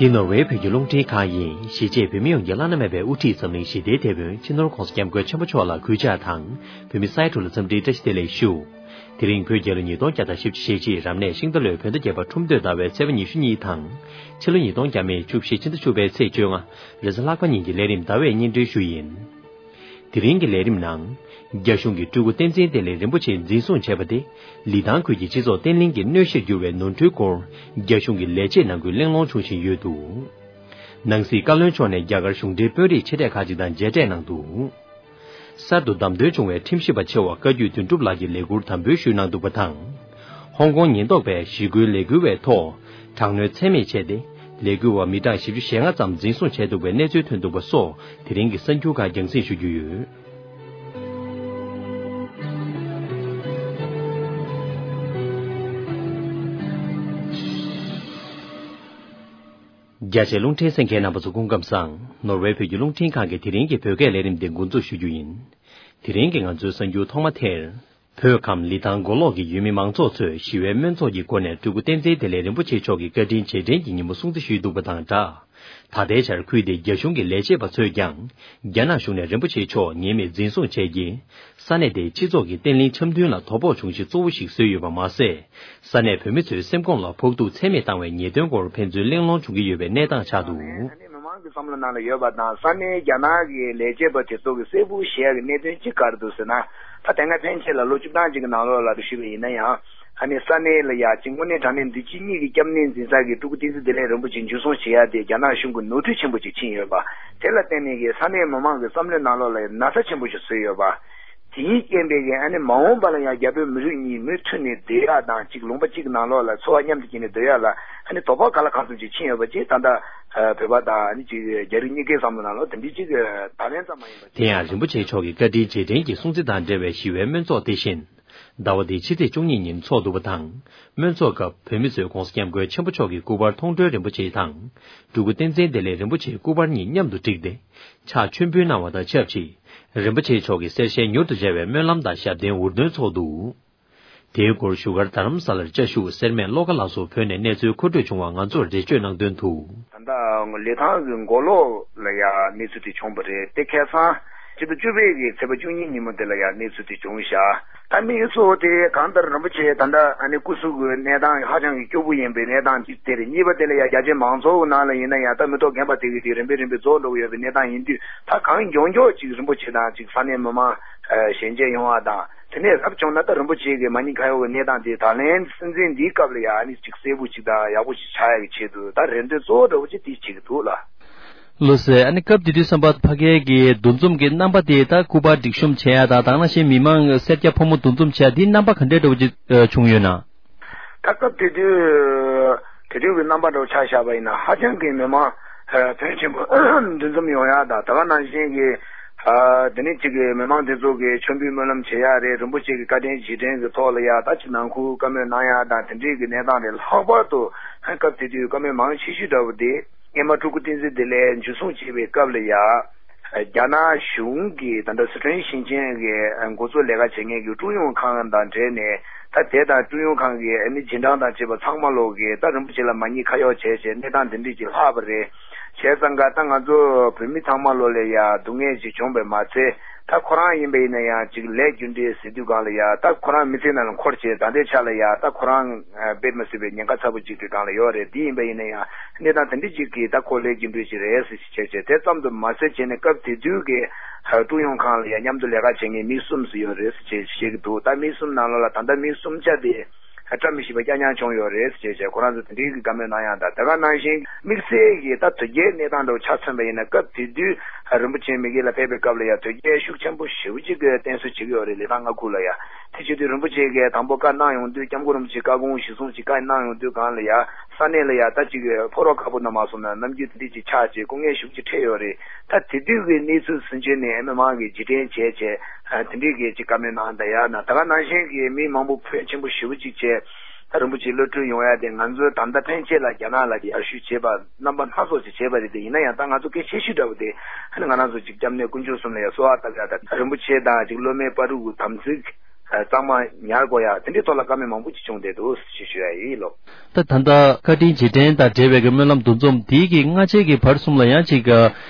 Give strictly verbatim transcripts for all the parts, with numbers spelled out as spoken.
འདི་ནོར་ཝེ་བོད་ཀྱི་རླུང་འཕྲིན་ཁང་ཡིན། གཞིས་བྱེས་བོད་མི་ཡོངས་ཀྱི་བླ་ན་མེད་པའི་དབུ་ཁྲིད་འཛམ་གླིང་ཞི་བདེའི་དེད་དཔོན་སྤྱི་ནོར་༧གོང་ས་༧སྐྱབས་མགོན་ཆེན་པོ་མཆོག་ལ་གུས་ཕྱག་དང་། བོད་མི་ས་ཡ་དྲུག་ལ་འཚམས་འདྲིའི་བཀྲ་ཤིས་བདེ་ལེགས་ཞུ། དེ་རིང་བོད་རྒྱལ་ལོ་ཉིས་སྟོང་བརྒྱ་དང་བཞི་བཅུ་ཞེ་གཅིག་རབ་གནས་ཤིང་རྟ་ལོའི་བོད་ཟླ་བརྒྱད་པ་ཁྲུམས་སྟོད་ཟླ་བའི་ཚེས་པ་ཉི་ཤུ་གཉིས་དང་། ཕྱི་ལོ་ཉིས་སྟོང་བརྒྱ་མེད་བཅུ་བཞི་ཕྱི་ཟླ་བཅུ་པའི་ཚེས་བཅོ་ལྔ། རེས་གཟའ་ལྷག་པ་ཉིན་གྱི་ལས་རིམ་ཟླ་བས་སྙན་སྒྲོན་ཞུ་ཡིན། དེ་རིང་གི་ལས་རིམ་ནང་། རྒྱ་གཞུང་གིས་སྤྲུལ་སྐུ་བསྟན་འཛིན་བདེ་ལེགས་རིན་པོ་ཆེ་འཛིན་བཟུང་བྱས་པ་དེ། ལི་ཐང་ཁུལ་གྱི་སྤྱི་ཚོགས་བརྟན་ལྷིང་གི་གནོད་གཞིར་གྱུར་བའི་ནོར་འཁྲུལ་སྐོར། རྒྱ་གཞུང་གི་ལས་བྱེད་ནང་ཁུལ་གླེང་སློང་བྱུང་བཞིན་ཡོད་འདུག། ནང་སྲིད་བཀའ་བློན་མཆོག་ནས་རྒྱ་གར་གཞུང་འབྲེལ་དཔོན་རིགས་ཆེ་གྲས་ཁག་ཅིག་དང་མཇལ་འཕྲད་གནང་འདུག། གསར་དུ་བདམས་ཐོན་བྱུང་བའི་ཁྲིམས་ཞིབ་པ་ཆེ་བ་བཀའ་བརྒྱུད་དོན་གྲུབ་ལགས་ཀྱིས་ལས་ཁུར་དམ་འབུལ་ཞུས་གནང་འདུག་པ་དང་། ཧོང་ཀོང་ཉེན་རྟོག་པས་ཞི་རྒོལ་ལས་འགུལ་བའི་ཐོག་དྲག་གནོན་ཚད་མེད་བྱས་ཏེ། ལས་འགུལ་བ་མི་གྲངས་བཞི་བཅུ་ཞེ་ལྔ་ཙམ་འཛིན་བཟུང་བྱས་འདུག་པའི་གནས་ཚུལ་ཐོན་འདུག་པ་སོགས་དེ་རིང་གི་གསར་འགྱུར་ཁག་རྒྱང་སྲིང་ཞུ་རྒྱུ་ཡོད། རྒྱ་ཆེའི་རླུང་འཕྲིན་གསན་མཁན་རྣམ་པ་ཚོ་སྐུ་ཁམས་བཟང་། ནོར་ཝེ་བོད་ཀྱི་རླུང་འཕྲིན་ཁང་གི་དེ་རིང་གི་བོད་སྐད་ལས་རིམ་འདི་འགོ་འཛུགས་ཞུ་རྒྱུ་ཡིན། དེ་རིང་གི་ང་ཚོའི་གསར་འགྱུར་ཐོག་མ་དེར། བོད་ཁམས་ལི་ཐང་མགོ་ལོག་གི་ཡུལ་མི་མང་ཚོགས་ཚོས་ཞི་བའི་སྨོན་ཚོགས་ཀྱི་སྒོ་ནས་སྤྲུལ་སྐུ་བསྟན་འཛིན་བདེ་ལེགས་རིན་པོ་ཆེ་མཆོག་གི་བཀའ་དྲིན་རྗེས་དྲན་གྱི་ཉིན་མོ་སྲུང་བརྩི་ཞུས་འདུག་པ་དང་སྦྲགས། ད་ལྟའི་ཆར་ཁུལ་དེའི་རྒྱ་གཞུང་གི་ལས་བྱེད་པ་ཚོས་ཀྱང་། རྒྱ་ནག་གཞུང་ནས་རིན་པོ་ཆེ་མཆོག་ཉེས་མེད་འཛིན་བཟུང་བྱས་རྗེས། ས་གནས་དེའི་སྤྱི་ཚོགས་ཀྱི་བརྟན་ལྷིང་འཆམ་མཐུན་ལ་དོ་ཕོག་བྱུང་གཞི་གཙོ་བོ་ཞིག་བཟོས་ཡོད་པ་མ་ཟད། ས་གནས་བོད་མི་ཚོའི་སེམས་ཁོངས་ལ་ཕོག་ཐུག་ཚད་མེད་བཏང་བའི་ཉེས་དོན་སྐོར་ཕན་ཚུན་གླེང་སློང་བྱུང་གི་ཡོད་པའི་གནས་སྟངས་ཆགས་འདུག། ས་གནས་མི་མང་གི་བསམ་བློ་ནང་ལ་ཡོད་པ་དང་། ས་གནས་རྒྱ་ནག་གི་ལས་བྱེད་པ་དེ་ཚོ་གི་གསལ་པོ་བཤད་ཡག་གི་གནད་དོན་གཅིག་ག་རེ་འདུག་ཟེར་ན། ད་དེ་སྔ་ཕན་ཆད་ལ་ལོ་བཅུ་གྲངས་གཅིག་གི་ནང་ལོགས་ལ་ཞུས་པ་ཡིན་ན་ཡང་། ཨ་ནི་ས་གནས་ལ་ཡ་གཅིག་དངོས་གནས་དྲང་གནས་འདི་ཕྱི་གཉིས་ཀྱི་སྐྱབས་གནས་འཛིན་ས་གི་སྤྲུལ་སྐུ་བསྟན་འཛིན་བདེ་ལེགས་རིན་པོ་ཆེ་འཇུ་བཟུང་བྱེད་ཡག་དེ་རྒྱ་ནག་གཞུང་གི་ནོར་འཁྲུལ་ཆེན་པོ་ཅིག་ཕྱིན་ཡོད་པ། དེ་ལ་བརྟེན་ནས་ཀྱི་ས་གནས་མི་མང་གི་བསམ་བློའི་ནང་ལོགས་ལ་ཡ་ན་ཚ་ཆེན་པོ་ཞིག་བཟོས་ཡོད་པ། དེའི་རྐྱེན་པས་ཀྱི་ཨ་ནི་མ་འོངས་པ་ལ་ཡང་རྒྱ་བོད་མི་རིགས་གཉིས་མུ་མཐུད་ནས་བསྡད་ཡག་དང་། གཅིག་ལུང་པ་གཅིག་གི་ནང་ལོགས་ལ་འཚོ་བ་མཉམ་དུ་སྐྱེལ་ནས་སྡོད་ཡག་ལ་ཨ་ནི་དོ་ཕོག་ག་ལ་གང་འཚམ་ཅིག་ཕྱིན་ཡོད་པ་ཅིག་ད་ལྟ་བོད་པ་དང་ཨ་ནི་ཅིག་རྒྱ་རིགས་གཉིས་ཀའི་བསམ་བློ་ནང་ལོགས་དེ་འདྲའི་ཅིག་ད་ལན་ཙམ་མ་ཡིན་པ། དེ་ཡང་རིན་པོ་ཆེ་མཆོག་གི་བཀའ་དྲིན་རྗེས་དྲན་གྱི་སྲུང་བརྩི་དང་འབྲེལ་བའི་ཞི་བའི་སྨོན་ཚོགས་དེ་བཞིན། ཟླ་བ་འདིའི་ཕྱི་ཚེས་བཅུ་གཉིས་ཉིན་འཚོགས་འདུག་པ་དང་། སྨོན་ཚོགས་སྐབས་བོད་མི་ཚོས་ྋགོང་ས་ྋསྐྱབས་མགོན་ཆེན་པོ་མཆོག་གི་སྐུ་པར་མཐོང་གྲོལ་རིན་པོ་ཆེ་དང་། སྤྲུལ་སྐུ་བསྟན་འཛིན་བདེ་ལེགས་རིན་པོ་ཆེའི་སྐུ་པར་གཉིས་མཉམ་དུ་བསྒྲིགས་ཏེ། ཕྱག་མཆོད་འབུལ་གནང་བ་དང་ཆབས་ཅིག། རིན་པོ་ཆེ་མཆོག་གི་གསེར་ཞལ་མྱུར་དུ་མཇལ་བའི་སྨོན་ལམ་དང་ཞབས་བརྟན་འུར་འདོན་ཚོགས་འདུག། དེའི་སྐོར་བཞུགས་སྒར་རྡ་རམ་ས་ལར་བཅའ་བཞུགས་སེར་སྨད་བློ་དགའ་ལགས་སུ་བོད་ནས་གནས་ཚུལ་མཁོ་སྤྲོད་བྱུང་བ་ང་ཚོར་འགྲེལ་བརྗོད་གནང་དོན་དུ། ད་ལྟ་ལི་ཐང་གི་མགོ་ལོག་ལ་ཡ་གནས་ཚུལ་དེ་བྱུང་བ་རེད། དེ་ཁ་སང་སྤྱི་ཟླ་བཅུ་པའི་གི་ཚེས་པ་བཅུ་གཉིས་ཉིན་མོ་དེ་ལ་ཡ་གནས་ཚུལ་དེ་བྱུང་ཤག། ད་མི་ཚོ་དེ་གང་ལྟར་རིན་པོ་ཆེ་ད་ལྟ་ཨ་ནི་སྐུ་གཟུགས་ཀྱི་གནས་སྟངས་ཧ་ཅང་གི་སྐྱོ་པོ་ཡིན་པའི་གནས་སྟངས་གཅིག་དེ་རེད། གཉིས་པ་དེ་ལ་ཡ་རྒྱ་ཆེ་མང་ཚོགས་ཀྱི་ནང་ལ་ཡིན་ན་ཡང་ད་མི་ཐོག་རྒན་པ་དེ་གི་དེ་རིམ་པས་རིམ་པས་རྫོགས་འགྲོ་གི་ཡོད་པའི་གནས་སྟངས་ཡིན་དུས། ད་གང་མགྱོགས་མགྱོགས་ཅིག་རིན་པོ་ཆེ་དང་ཅིག་ས་གནས་མི་མང་ཞལ་མཇལ་ཡོང་བ་དང་། དེ་ནས་རབ་བྱུང་ན་ད་རིན་པོ་ཆེ་གི་མ་ཉེས་ཁ་གཡོག་གི་གནས་སྟངས་དེ་ད་ལན་སྲིད་འཛིན་འདིའི་སྐབས་ལ་ཡ་ཨ་ནི་ཅིག་གསལ་པོ་ཅིག་དང་ཡག་པོ་ཅིག་ཆགས་ཡག་གི་ཆེད་དུ་ད་རེ་འདུན་གཙོ་བོ་འདྲ་བོ་ཅིག་དེ་བྱེད་ཀྱི་འདུག་ལ། ལགས་སོ། ཨ་ནི་སྐབས་དེ་དུས་བསམ་པ་ཕ་གིའི་གི་འདུ་འཛོམས་ཀྱི་རྣམ་པ་དེ་ད་སྐུ་པར་སྒྲིག་གཤོམ་བྱེད་ཡ་དང་། དེ་ནང་བཞིན་མི་མང་སེར་སྐྱ་ཕོ་མོ་འདུ་འཛོམས་བྱེད་ཡ་དེའི་རྣམ་པ་ག་འདྲའི་འདྲ་བོ་ཅིག་བྱུང་ཡོད་ན། ད་སྐབས་དེ་དུས་དེ་དུས་ཀྱི་རྣམ་པ་འདྲ་བོ་ཆ་བཞག་པ་ཡིན་ན་ཧ་ཅང་གི་མི་མང་ཕོན་ཆེན་པོ་འདུ་འཛོམས་ཡོང་ཡ་དང་། དེ་ག་ནང་བཞིན་གྱི་དེ་ནས་ཅིག་གི་མི་མང་དེ་ཚོ་གི་མཆོད་འབུལ་སྨོན་ལམ་བྱེད་ཡ་རེད། རིན་པོ་ཆེ་གི་བཀའ་དྲིན་རྗེས་དྲན་གྱི་ཐོག་ལ་ཡ་ད་ཅིག་ནང་ཁུལ་བཀའ་མོལ་གནང་ཡ་དང་དེ་འདྲའི་གི་གནས་སྟངས་རེད། ལྷག་པར་དུ་སྐབས་དེ་དུས་བཀའ་མོལ་མང་ཆེ་ཤོས་འདྲ་བོ་དེ། སྔོན་མ་སྤྲུལ་སྐུ་བསྟན་འཛིན་བདེ་ལེགས་འཇུ་བཟུང་བྱས་པའི་སྐབས་ལ་ཡ། རྒྱ་ནག་གཞུང་གིས་ད་ལྟ་སི་ཁྲོན་ཞིང་ཆེན་གྱི་འགོ་གཙོ་ལས་ཀ་བྱེད་མཁན་གྱི་ཀྲུང་ཡུང་ཁང་དང་འབྲེལ་ནས། ད་དེ་དང་ཀྲུང་ཡུང་ཁང་གི་ཨ་ནི་རྗེས་འབྲང་དང་བཅས་པ་ཚང་མ་ལོག་གིས་ད་རིན་པོ་ཆེ་ལ་མ་ཉེས་ཁ་གཡོག་བྱས་བྱས་གནས་སྟངས་འདི་འདྲས་ཅིག་ལྷག་པ་རེད། བྱས་ཙང་ཀ་ད་ང་ཚོ་བོད་མི་ཚང་མ་ལོག་ལ་ཡ་སྡུག་བསྔལ་ཅིག་བྱུང་བས་མ་ཚད། ད་ཁོ་རང་ཡིན་པ་ཡིན་ན་ཡང་ཅིག་ལས་རྒྱུ་འབྲས་ཟེར་དུས་སྒང་ལ་ཡ། ད་ཁོ་རང་མི་ཚེ་ནང་ལ་འཁོར་བྱས་ད་ལྟའི་ཆ་ལ་ཡ་ད་ཁོ་རང་ཨ་དཔེ་མི་སྲིད་པའི་ཉེན་ཁ་ཚ་པོ་ཅིག་གི་སྒང་ལ་ཡོད་རེད། འདི་ཡིན་པ་ཡིན་ན་ཡང་གནས་སྟངས་དེ་འདྲ་ཅིག་གིས་ད་ཁོ་ལས་རྒྱུ་འབྲས་ཅིག་རེད་ཟེར་བྱས་བྱས། དེ་ཙམ་དུ་མ་ཟད་བྱས་ནས་སྐབས་དེ་དུས་ཀྱི་ཨ་ཀྲུང་ཡུང་ཁང་ལ་ཡ་མཉམ་དུ་ལས་ཀ་བྱེད་མཁན་མི་གསུམ་ཙམ་ཡོད་རེད་ཟེར་བྱས་བཤད་ཀྱི་འདུག། ད་མི་གསུམ་ནང་ལོགས་ལ་ད་ལྟ་མི་གསུམ་ཆ་དེ་བཀྲ་མི་ཤིས་པ་རྐྱང་རྐྱང་བྱུང་ཡོད་རེད་ཟེར་བྱས་བྱས། ཁོ་རང་ཚོ་དེ་འདྲའི་གི་བཀའ་མོལ་གནང་ཡག་དང་། དེ་ག་ནང་བཞིན་དམིགས་བསལ་གྱི་ད་དོལ་རྒྱལ་གནས་སྟངས་འདྲ་བོ་ཆ་མཚོན་པ་ཡིན་ན། སྐབས་དེ་དུས་རིན་པོ་ཆེ་མ་གི་ལ་ཕེབས་པའི་སྐབས་ལ་ཡ་དོལ་རྒྱལ་ཤུགས་ཆེན་པོ་ཞེ་པོ་ཅིག་གིས་བསྟེན་གསོལ་བྱེད་ཀྱི་ཡོད་རེད། ལི་ཐང་མངའ་ཁུལ་ལ་ཡ། དེ་བྱེད་དུས་རིན་པོ་ཆེ་གིས་དང་པོ་བཀའ་གནང་ཡོང་དུས། སྐྱབས་མགོན་རིན་པོ་ཆེ་བཀའ་དགོངས་གཞིར་བཟུང་ཅིག་བཀའ་གནང་ཡོང་དུས་སྒང་ལ་ཡ། ས་གནས་ལ་ཡ་ད་ཅིག་ཕོ་རོག་ཁག་པོ་ན་མ་སོང་ན་ནམ་རྒྱུན་དེ་འདྲས་ཅིག་ཆགས་བྱས་སྐུ་ངལ་ཞེ་པོ་ཅིག་འཕྲད་ཡོད་རེད། ད་དེ་དུས་ཀྱི་གནས་ཚུལ་ཟིན་བྱས་ནས་མི་མང་གིས་རྗེས་དྲན་བྱས་བྱས་དེ་འདྲས་ཀྱི་ཅིག་བཀའ་མོལ་གནང་ད་ཡ་ན། ད་ག་ནང་བཞིན་གྱི་མི་མང་པོ་ཕོན་ཆེན་པོ་ཞེ་པོ་ཅིག་བྱས། ད་རིན་པོ་ཆེ་གློད་གྲོལ་ཡོང་ཡ་དེ་ང་ཚོས་ད་ལྟ་ཕན་ཆད་ལ་རྒྱ་ནག་ལ་ཡར་ཞུ་བྱས་པ་རྣམ་པ་སྣ་ཚོགས་ཅིག་བྱས་པ་རེད། དེ་ཡིན་ན་ཡང་ད་ང་ཚོ་གལ་ཆེ་ཤོས་འདྲ་བོ་དེ་ཨ་ནི་ང་རང་ཚོ་ཅིག་སྐྱབས་གནས་དཀོན་མཆོག་གསུམ་ལ་ཡ་གསོལ་བ་བཏབ་ཡ་དང་། རིན་པོ་ཆེ་དང་ཅིག་སློབ་མའི་བར་དུ་དམ་ཚིག་གཙང་མ་ཉར་དགོས་ཡ་དེ་འདྲའི་ཐོག་ལ་བཀའ་མོལ་མང་པོ་ཅིག་བྱུང་བསྡད་འདུག་ཞེས་ཞུ་ཡ་ཡིན་ལོ། ད་ད་ལྟ་བཀའ་དྲིན་རྗེས་དྲན་དང་འབྲེལ་བའི་གི་སྨོན་ལམ་འདུ་འཛོམས་དེའི་གི་སྔ་རྗེས་ཀྱི་བར་གསུམ་ལ་ཡང་ཅིག་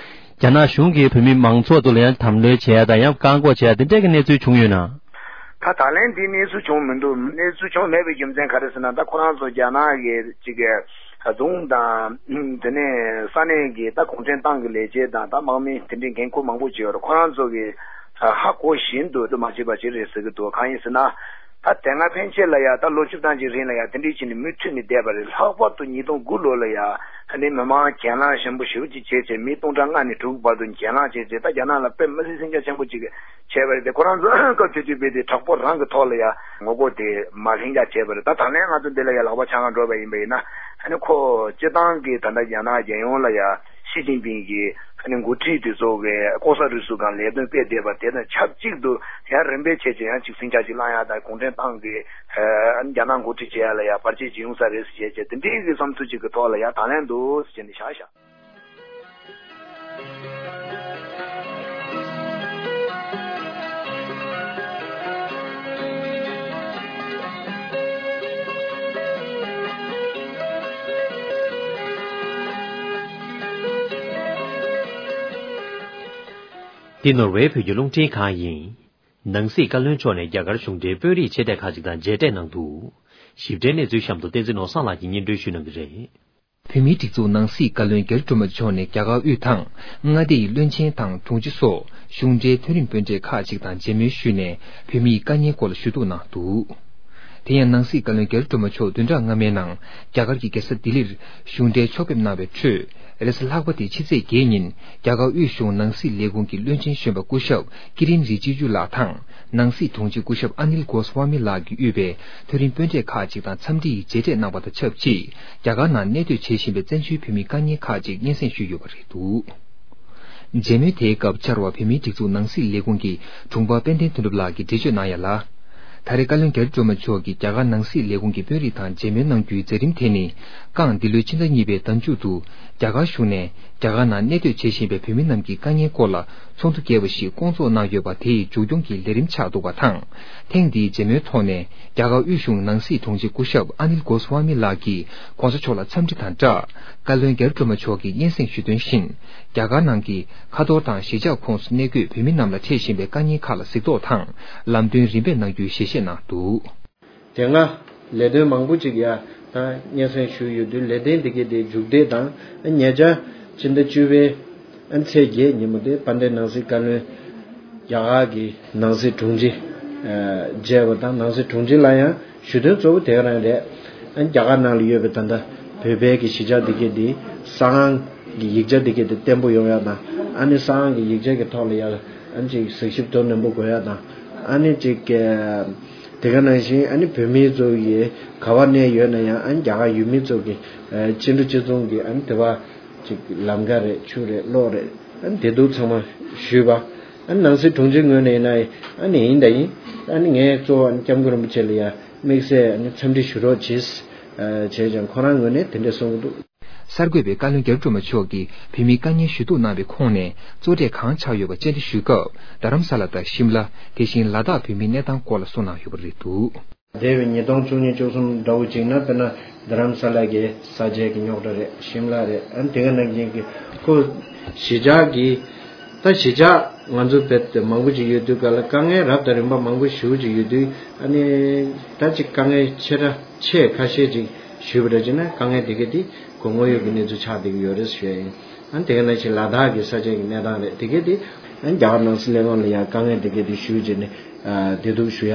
རྒྱ་ནག་གཞུང་གིས་བོད་མི་མང་ཚོགས་ཚོ་ལ་ཡང་དམ་ལྷོད་བྱས་ཡ་དང་ཡང་བཀག་འགོག་བྱས་ཡ་དེ་འདྲས་ཀྱི་གནས་ཚུལ་བྱུང་ཡོད་ན། ད་ད་ལན་འདི་གནས་ཚུལ་བྱུང་མི་འདུག་གནས་ཚུལ་བྱུང་མེད་པའི་རྒྱུ་མཚན་ག་རེ་ཟེར་ན། ད་ཁོ་རང་ཚོ་རྒྱ་ནག་གི་ཅིག་གི་རྫོང་དང་དེ་ནས་ས་གནས་ཀྱི་ད་གུང་ཁྲན་ཏང་གི་ལས་བྱེད་དང་ད་དམག་མི་དེ་འདྲའི་འགན་འཁུར་མང་པོ་ཅིག་ཡོད་རེད། ཁོ་རང་ཚོ་གི་ཧ་གོ་བཞིན་དུ་དུ་མ་བྱེད་པ་ཅིག་རེད་ཟེར་གི་འདུག་གང་ཡིན་ཟེར་ན། ད་དེ་སྔ་ཕན་ཆད་ལ་ཡ་ད་ལོ་བཅུ་ཐམ་ཅིག་རིང་ལ་ཡ་དེ་འདྲའི་ཕྱིན་ནས་མུ་མཐུད་ནས་བསྡད་པ་རེད། ལྷག་པར་དུ་ཉིས་སྟོང་དགུ་ལོ་ལ་ཡ་ཨ་ནི་མི་མང་གྱེན་ལངས་ཞན་པོ་ཞེ་པོ་ཅིག་བྱས་བྱས་མི་སྟོང་ཕྲག་ལྔ་ནས་དྲུག་བར་དུ་གྱེན་ལངས་བྱས་བྱས་ད་རྒྱ་ནག་ལ་དཔེ་མི་སྲིད་ཟིང་ཆ་ཆེན་པོ་ཅིག་བྱས་པ་རེད་དེ། ཁོ་རང་ཚོ་སྐབས་དེ་དུས་དཔེ་དེ་དྲག་པོ་རང་གི་ཐོག་ལ་ཡ་ངོ་རྒོལ་དེ་མ་ལྷིང་འཇགས་བྱས་པ་རེད། ད་ད་ལན་ང་ཚོ་འདི་ལ་ཡ་ལག་པ་འཆང་ག་འགྲོ་བ་ཡིན་པ་ཡིན་ན་ཨ་ནི་ཁོ་སྤྱི་བཏང་གི་ད་ལྟ་རྒྱ་ནག་རྒྱལ་ཡོངས་ལ་ཡ་ཞི་ཅིན་ཕིང་གི་ཨ་ནི་འགོ་ཁྲིད་དེ་ཚོ་གི་ལྐོག་ཟ་རུལ་སུངས་སྒང་ལས་དོན་སྤེལ་བསྡད་པ་དེ་དང་ཆབས་ཅིག་ཏུ་ཡང་རིམ་པས་བྱས་བྱས་ཡང་ཅིག་ཟིང་ཆ་ཅིག་བསླང་ཡ་དང་གུང་ཁྲན་ཏང་གི་ཨ་ནི་རྒྱ་ནག་འགོ་ཁྲིད་བྱེད་ཡ་ལ་ཡ་བར་ཆད་ཅིག་ཡོང་ས་རེད་ཟེར་བྱས་བྱས་དེ་འདྲའི་གི་བསམ་ཚུལ་ཅིག་གི་ཐོག་ལ་ཡ་ད་ལན་འདུག་ཟེར་བྱས་ནས་བཞག་བཞག་འདི་ནོར་ཝེ་བོད་ཀྱི་རླུང་འཕྲིན་ཁང་ཡིན། ནང་སྲིད་བཀའ་བློན་མཆོག་ནས་རྒྱ་གར་གཞུང་འབྲེལ་དཔོན་རིགས་ཆེ་གྲས་ཁག་ཅིག་དང་མཇལ་འཕྲད་གནང་འདུག་ཞིབ་ཕྲའི་གནས་ཚུལ་གཤམ་དུ་བསྟན་འཛིན་ནོར་བཟང་ལགས་ཀྱིས་སྙན་སྒྲོན་ཞུ་གནང་གི་རེད། བོད་མིའི་སྒྲིག་འཛུགས་ནང་སྲིད་བཀའ་བློན་རྒྱ་རི་སྒྲོལ་མ་མཆོག་ནས་རྒྱ་གར་དབུས་དང་མངའ་སྡེ་ཡི་བློན་ཆེན་དང་དྲུང་ཆེ་སོགས་གཞུང་འབྲེལ་མཐོ་རིམ་དཔོན་གྲས་ཁག་ཅིག་དང་མཇལ་མོལ་ཞུས་ནས་བོད་མིའི་དཀའ་ངལ་སྐོར་ལ་ཞུ་གཏུག་གནང་འདུག་དེ་ཡང་ནང་སྲིད་བཀའ་བློན་རྒྱ་རི་སྒྲོལ་མ་མཆོག་བདུན་ཕྲག་སྔ་མའི་ནང་རྒྱ་གར་གྱི་རྒྱལ་ས་ལྡི་ལིར་གཞུང་འབྲེལ་ཕྱོགས་ཕེབས་གནང་བའི་ཁྲོད། རེས་གཟའ་ལྷག་པ་སྟེ་ཕྱི་ཚེས་བརྒྱད་ཉིན་རྒྱ་གར་དབུས་གཞུང་ནང་སྲིད་ལས་ཁུངས་ཀྱི་བློན་ཆེན་གཞོན་པ་སྐུ་ཞབས་ཀི་རིན་རི་ཇི་ཇུ་ལགས་དང་། ནང་སྲིད་དྲུང་ཆེ་སྐུ་ཞབས་ཨ་ནིལ་གོ་སི་ཝཱ་མི་ལགས་ཀྱིས་དབུས་པའི་མཐོ་རིམ་དཔོན་གྲས་ཁག་ཅིག་དང་འཚམས་འདྲིའི་མཇལ་འཕྲད་གནང་བ་དང་ཆབས་ཅིག་རྒྱ་གར་ནང་གནས་སྡོད་བྱེད་བཞིན་པའི་བཙན་བྱོལ་བོད་མིའི་དཀའ་ངལ་ཁག་ཅིག་སྙན་སེང་ཞུས་ཡོད་པ་རེད་འདུག་མཇལ་མོལ་དེའི་སྐབས་བཅར་བ་བོད་མིའི་སྒྲིག་འཛུགས་ནང་སྲིད་ལས་ཁུངས་ཀྱི་དྲུང་འཕར་དཔལ་ལྡན་དོན་གྲུབ་ལགས་ཀྱིས་འགྲེལ་བརྗོད་གནང་ཡ་ལ། ད་རེས་བཀའ་བློན་རྒྱ་རི་སྒྲོལ་མ་མཆོག་གིས་རྒྱ་གར་ནང་སྲིད་ལས་ཁུངས་ཀྱི་དཔོན་རིགས་དང་མཇལ་མོལ་གནང་རྒྱུའི་མཛད་རིམ་དེ་ནི། རྐང་འདི་ལོའི་ཕྱི་ཟླ་གཉིས་པའི་ཟླ་མཇུག་ཏུ་རྒྱ་གར་གཞུང་ནས་རྒྱ་གར་ནང་གནས་སྡོད་བྱེད་བཞིན་པའི་བོད་མི་རྣམས་ཀྱི་དཀའ་ངལ་སྐོར་ལ་ཚོགས་འདུ་རྒྱས་པ་ཞིག་བསྐོང་ཚོགས་གནང་ཡོད་པ་དེའི་མཇུག་སྐྱོང་གི་ལས་རིམ་ཆགས་འདུག་པ་དང་། ཐེངས་འདིའི་མཇལ་མོལ་ཐོག་ནས་རྒྱ་གར་དབུས་གཞུང་ནང་སྲིད་དྲུང་ཆེ་སྐུ་ཞབས་ཨ་ནིལ་གོ་སི་ཝཱ་མི་ལགས་ཀྱིས་༧གོང་ས་མཆོག་ལ་འཚམས་འདྲི་དང་སྦྲགས། བཀའ་བློན་རྒྱ་རི་སྒྲོལ་མ་མཆོག་གིས་སྙན་སེང་ཞུས་དོན་བཞིན། རྒྱ་གར་ནང་གི་ཁ་ཐོར་དང་གཞིས་ཆགས་ཁོངས་སུ་གནས་འཁོད་བོད་མི་རྣམས་ལ་འཕྲད་བཞིན་པའི་དཀའ་ངལ་ཁག་ལ་གཟིགས་རྟོག་དང་ལམ་སྟོན་རིམ་པས་གནང་རྒྱུའི་ཞལ་བཞེས་གནང་འདུག་དེ་སྔ་ལས་དོན་མང་པོ་ཅིག་ཡ་ད་སྙན་སེང་ཞུས་ཡོད་དུས་ལས་དོན་དེ་གའི་དེ་མཇུག་སྡུད་དང་ཉེ་ཆར་ཕྱི་ཟླ་བཅུ་པའི་ཚེས་བརྒྱད་ཉིན་མོ་དེ་དཔལ་ལྡན་ནང་སྲིད་བཀའ་བློན་རྒྱ་གར་གྱི་ནང་སྲིད་དྲུང་ཆེ་མཇལ་བ་དང་ནང་སྲིད་དྲུང་ཆེ་ལ་ཡང་ཞུ་དོན་གཙོ་བོ་དེ་ག་རང་རེད། རྒྱ་གར་ནང་ལ་ཡོད་པའི་ད་ལྟ་བོད་པའི་གི་གཞིས་ཆགས་དེ་གའི་དེ་ས་ཨང་གི་ཡིག་ཆ་དེ་གའི་དེ་བརྟན་པོ་ཡོང་ཡ་དང་ཨ་ནི་ས་ཨང་གི་ཡིག་ཆ་གི་ཐོག་ལ་ཡ་ཨ་ནི་ཅིག་གཟིགས་ཞིབ་དོ་ནན་པོ་དགོས་ཡ་དང་ཨ་ནི་ཅིག་དེ་ག་ནང་བཞིན་ཨ་ནི་བོད་མི་ཚོ་ཡི་ག་བ་གནས་ཡོད་ན་ཡང་ཨ་ནི་རྒྱ་གར་ཡུལ་མི་ཚོ་གི་ཨ་ཕྱི་འབྲེལ་སྤྱི་ཚོགས་ཀྱི་ཨ་ནི་དེ་བ་ཅིག་ལམ་ཁ་རེད་ཆུ་རེད་གློག་རེད་ཨ་ནི་བདེ་སྡུག་ཚང་མ་ཞུས་པ་ཨ་ནི་ནང་སྲིད་དྲུང་ཆེ་ངོས་ནས་ཡིན་ན་ཨ་ནི་ཡིན་ད་ཡིན་ཨ་ནི་ངས་གཙོ་བོ་ཨ་ནི་སྐྱབས་མགོན་རིན་པོ་ཆེ་ལ་ཡ་དམིགས་བསལ་ཨ་ནི་འཚམས་འདྲི་ཞུ་རོགས་བྱེད་བྱས་ཀྱང་ཁོ་རང་ངོས་ནས་དེ་འདྲས་གསུང་གི་འདུག་གསར་འགོད་པས་བཀའ་བློན་རྒྱ་རི་སྒྲོལ་མ་མཆོག་གིས་བོད་མིའི་དཀའ་ངལ་ཞུ་གཏུག་གནང་བའི་ཁོངས་ནས་གཙོ་གྲས་གང་ཆགས་ཡོད་པ་བཅར་འདྲི་ཞུས་སྐབས་རྡ་རམ་ས་ལ་དང་ཤིམ་ལ་དེ་བཞིན་ལ་དྭགས་བོད་མིའི་གནས་སྟངས་སྐོར་ལ་གསུངས་གནང་ཡོད་པ་རེད་འདུག་འདས་པའི་ཉིས་སྟོང་བཅུ་གཉིས་བཅུ་གསུམ་འདྲ་བོ་ཅིག་ན་དཔེར་ན་རྡ་རམ་ས་ལ་གི་ས་ཆའི་གི་རྙོག་དྲ་རེད་ཤིམ་ལ་རེད་ཨ་ནི་དེ་ག་ནང་བཞིན་གི་ཁོ་གཞིས་ཆགས་ཀྱི་ད་གཞིས་ཆགས་ང་ཚོ་བེད་དེ་མང་པོ་ཅིག་ཡོད་དུས་ག་ལ་དཀའ་ངལ་རབ་དང་རིམ་པ་མང་པོ་ཞེ་པོ་ཅིག་ཡོད་དུས་ཨ་ནི་ད་ཅིག་དཀའ་ངལ་ཆེ་ཕྲ་ཆེ་ཁ་ཤས་ཅིག་ཞུས་པ་འདྲ་ཅིག་ན་དཀའ་ངལ་དེ་ག་དེ་ཁོ་དངོས་ཡོད་ཀྱི་གནས་ཚུལ་ཆགས་བསྡད་ཀྱི་ཡོད་རེད་ཞུ་ཡ་ཡིན། ཨ་ནི་དེ་ག་ནང་བཞིན་ལ་དྭགས་ཀྱི་ས་ཆའི་གི་གནས་སྟངས་རེད་དེ་ག་དེ་ཨ་ནི་རྒྱ་གར་ནང་སྲིད་ལས་ཁང་ལ་ཡང་དཀའ་ངལ་དེ་ག་དེ་ཞུས་བྱས་ནས་བདེ་སྡུག་ཞུ་ཡ་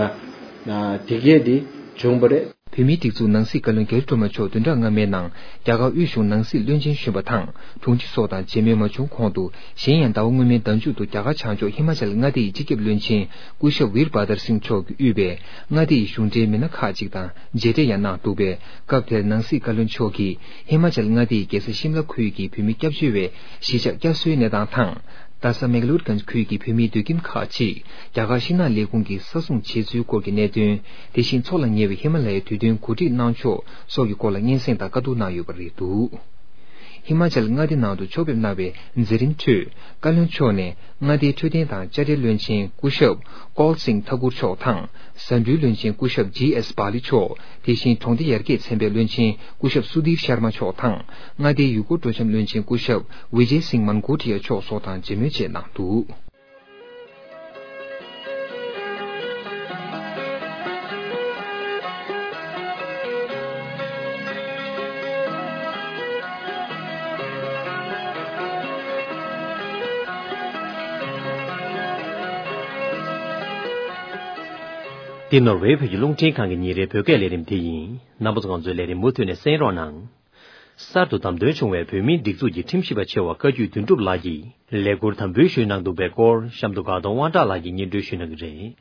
དེ་ག་དེ་བྱུང་བ་རེད། བོད་མིའི་སྒྲིག་འཛུགས་ནང་སྲིད་བཀའ་བློན་རྒྱ་རི་སྒྲོལ་མ་མཆོག་བདུན་ཕྲག་སྔ་མའི་ནང་རྒྱ་གར་དབུས་གཞུང་ནང་སྲིད་བློན་ཆེན་གཞོན་པ་དང་དྲུང་ཆེ་སོགས་དང་མཇལ་མོལ་མ་བྱུང་གོང་དུ་གཞན་ཡང་ཟླ་བ་སྔོན་མའི་ཟླ་མཇུག་ཏུ་རྒྱ་གར་བྱང་ཕྱོགས་ཧི་མ་ཅལ་མངའ་སྡེ་ཡི་སྤྱི་ཁྱབ་བློན་ཆེན་སྐུ་ཞབས་ཝིར་བྷ་དར་སིང་མཆོག་གིས་དབུས་པའི་མངའ་སྡེ་ཡི་གཞུང་འབྲེལ་མི་སྣ་ཁག་ཅིག་དང་མཇལ་འཕྲད་ཡང་གནང་འདུག་པས་སྐབས་དེར་ནང་སྲིད་བཀའ་བློན་མཆོག་གིས་ཧི་མ་ཅལ་མངའ་སྡེ་ཡི་རྒྱལ་ས་ཤིམ་ལ་ཁུལ་གྱི་བོད་མི་སྐྱབས་བཅོལ་བའི་གཞིས་ཆགས་བསྐྱར་གསོའི་གནས་སྟངས་དང་། རྡ་ས་མེག་ལོར་གྷན་ཇི་ཁུལ་གྱི་བོད་མིའི་སྡོད་ཁྱིམ་ཁག་ཅིག་རྒྱ་གར་ཤིང་ནགས་ལས་ཁུངས་ཀྱིས་ས་སྲུང་བྱས་ཚུལ་སྐོར་གྱི་གནད་དོན། དེ་བཞིན་འཚོགས་ལ་ཉེ་བའི་ཧི་མ་ལ་ཡའི་དུས་སྟོན་གོ་སྒྲིག་གནང་ཕྱོགས་སོགས་ཀྱི་སྐོར་ལ་སྙན་སེང་དང་བཀའ་བསྡུར་གནང་ཡོད་པ་རེད་འདུག་ཧི་མ་ཅལ་མངའ་སྡེ་ནང་དུ་ཕྱོགས་ཕེབས་གནང་བའི་མཛད་རིམ་ཁྲོད། བཀའ་བློན་མཆོག་ནས་མངའ་སྡེའི་འཕྲོད་བསྟེན་དང་དཔྱ་ཁྲལ་བློན་ཆེན་སྐུ་ཞབས་ཀོལ་སིང་ཐ་གུར་མཆོག་དང་། ཟ་འབྲུའི་བློན་ཆེན་སྐུ་ཞབས་ཇི་ཨེས་བྷ་ལི་མཆོག། དེ་བཞིན་གྲོང་སྡེ་ཡར་རྒྱས་ཚན་པའི་བློན་ཆེན་སྐུ་ཞབས་སུ་དིར་ཤར་མ་མཆོག་དང་། མངའ་སྡེའི་ཡུལ་སྐོར་སྤྲོ་འཆམ་བློན་ཆེན་སྐུ་ཞབས་ཝི་ཇེ་སིང་མན་གོ་ཏི་ཡ་མཆོག་སོགས་དང་མཇལ་མོལ་བཅས་གནང་འདུག། འདི་ནོར་ཝེ་བོད་ཀྱི་རླུང་འཕྲིན་ཁང་གི་ཉིན་རེའི་བོད་སྐད་ལས་རིམ་དེ་ཡིན། རྣམ་པ་ཚོ་ང་ཚོའི་ལས་རིམ་མུ་མཐུད་ནས་གསན་རོགས་གནང་། གསར་དུ་བདམས་ཐོན་བྱུང་བའི་བོད་མིའི་སྒྲིག་འཛུགས་ཀྱི་ཁྲིམས་ཞིབ་པ་ཆེ་བ་བཀའ་བརྒྱུད་དོན་གྲུབ་ལགས་ཀྱིས་ལས་འཁུར་དམ་འབུལ་ཞུས་གནང་འདུག་པའི་སྐོར་གཤམ་དུ་དགའ་གདོང་དབང་གྲགས་ལགས་ཀྱིས་སྙན་སྒྲོན་ཞུ་གནང་གི་རེད།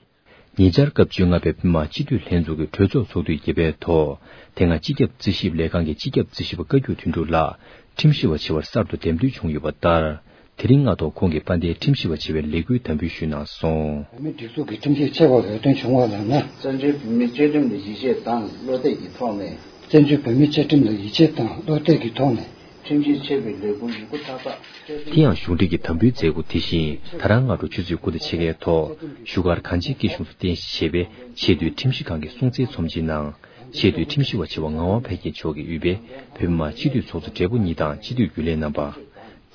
ཉེ་ཆར་སྐབས་བཅོ་ལྔ་པའི་བོད་མི་མང་སྤྱི་འཐུས་ལྷན་ཚོགས་ཀྱི་གྲོས་ཚོགས་ཚོགས་དུས་བརྒྱད་པའི་ཐོག་དེ་སྔ་སྤྱི་ཁྱབ་རྩིས་ཞིབ་ལས་ཁང་གི་སྤྱི་ཁྱབ་རྩིས་ཞིབ་པ་བཀའ་བརྒྱུད་དོན་གྲུབ་ལགས་ཁྲིམས་ཞིབ་པ་ཆེ་བར་གསར་དུ་འདེམས་ཐོན་བྱུང་ཡོད་པ་ལྟར། དེ་རིང་སྔ་དྲོ་ཁོང་གིས་དཔལ་ལྡན་ཁྲིམས་ཞིབ་པ་ཆེ་བའི་ལས་འཁུར་དམ་འབུལ་ཞུས་གནང་སོང་། བོད་མིའི་སྒྲིག་འཛུགས་ཀྱི་ཁྲིམས་ཞིབ་ཆེ་བ་འོས་ཐོན་བྱུང་བ་ལབ་ན། བཙན་བྱོལ་བོད་མིའི་བཅའ་ཁྲིམས་ལ་ཡིད་ཆེས་དང་བློ་གཏད་ཀྱི་ཐོག་ནས། བཙན་བྱོལ་བོད་མིའི་བཅའ་ཁྲིམས་ལ་ཡིད་ཆེས་དང་བློ་གཏད་ཀྱི་ཐོག་ནས། ཁྲིམས་ཞིབ་ཆེ་བའི་ལས་འཁུར་ཡོད་རྒུ་ཐག་ཐག་བཅད་དེ། དེ་ཡང་གཞུང་འབྲེལ་གྱི་དམ་འབུལ་མཛད་སྒོ་དེ་བཞིན་ད་རང་སྔ་དྲོ་ཆུ་ཚོད་དགུ་དང་ཕྱེད་ཀའི་ཐོག་བཞུགས་སྒར་གངས་ཅན་སྐྱིད་གཤོངས་སུ་རྟེན་གཞི་བྱས་པའི་ཆེས་མཐོའི་ཁྲིམས་ཞིབ་ཁང་གི་སྲུང་བརྩིའི་ཚོམས་ཆེན་ནང་། ཆེས་མཐོའི་ཁྲིམས་ཞིབ་པ་ཆེ་བ་ངག་དབང་འཕེལ་རྒྱས་མཆོག་གིས་དབུས་པའི་བོད་མི་མང་སྤྱི་འཐུས་ཚོགས་གཙོ་སྦྲེལ་པོ་གཉིས་དང་སྤྱི་འཐུས་རྒྱུན་ལས་རྣམ་པ།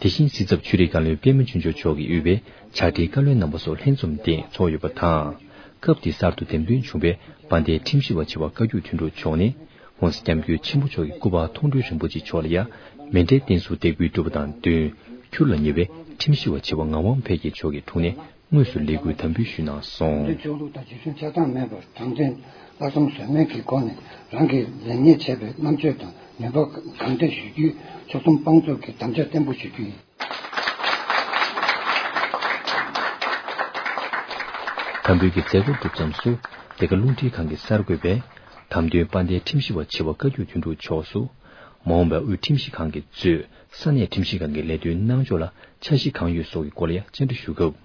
དེ་བཞིན་སྲིད་ཚབ་ཆོས་རིག་བཀའ་བློན་པད་མ་ཆོས་འབྱོར་མཆོག་གིས་དབུས་པའི་བྱ་བྲལ་བཀའ་བློན་རྣམ་པ་སོགས་ལྷན་འཛོམས་སྟེང་ཚོགས་ཡོད་པ་དང་། སྐབས་དེའི་གསར་དུ་འདེམས་ཐོན་བྱུང་བའི་དཔལ་ལྡན་ཁྲིམས་ཞིབ་པ་ཆེ་བ་བཀའ་བརྒྱུད་དོན་གྲུབ་མཆོག་ནས། ྋགོང་ས་ྋསྐྱབས་མགོན་ཆེན་པོ་མཆོག་གི་སྐུ་པར་མཐོང་གྲོལ་རིན་པོ་ཆེ་མཆོག་ལ་ཡང་མཎྜལ་རྟེན་གསུམ་འདེགས་འབུལ་གྲུབ་པ་དང་བསྟུན། འཁྱུར་ལ་ཉེ་བའི་ཁྲིམས་ཞིབ་པ་ཆེ་བ་ངག་དབང་འཕེལ་རྒྱས་མཆོག་གི་དྲུང་ནས་དངོས་སུ་ལས་འཁུར་དམ་འབུལ་ཞུས་གནང་སོང་། དོན་ཆོས་ལུགས་དང་རྗེས་བཟུང་ཆགས་སྡང་མེད་པར་དྲང་བདེན། ལྷག་བསམ་ཟོལ་མེད་ཀྱི་སྒོ་ནས་རང་གིས་ལེགས་ཉེས་བྱས་པའི་རྣམ་དཔྱོད་དང་ནུས་པ་གང་ཐད་ཞུ་རྒྱུའི་ཕྱོགས་བསྡོམས་དཔང་བཙུགས་ཀྱི་དམ་བཅའ་བརྟན་པོ་ཞུ་རྒྱུ་ཡིན། དམ་འབུལ་གྱི་མཛད་སྒོ་གྲུབ་མཚམས་སུ། འདི་ག་རླུང་འཕྲིན་ཁང་གི་གསར་འགོད་པས་དམ་དོན་དཔལ་ལྡན་ཁྲིམས་ཞིབ་པ་ཆེ་བ་བཀའ་བརྒྱུད་དོན་གྲུབ་མཆོག་སུ། མ་འོངས་པའི་དབུས་ཁྲིམས་ཞིབ་ཁང་གིས་གཙོས་ས་གནས་ཁྲིམས་ཞིབ་ཁང་གི་ལས་དོན་གནང་ཕྱོགས་ལ་འཆར་གཞི་གང་ཡོད་སོགས་ཀྱི་སྐོར་ལ་ཡང་བཅར་འདྲི་ཞུ་སྐབས།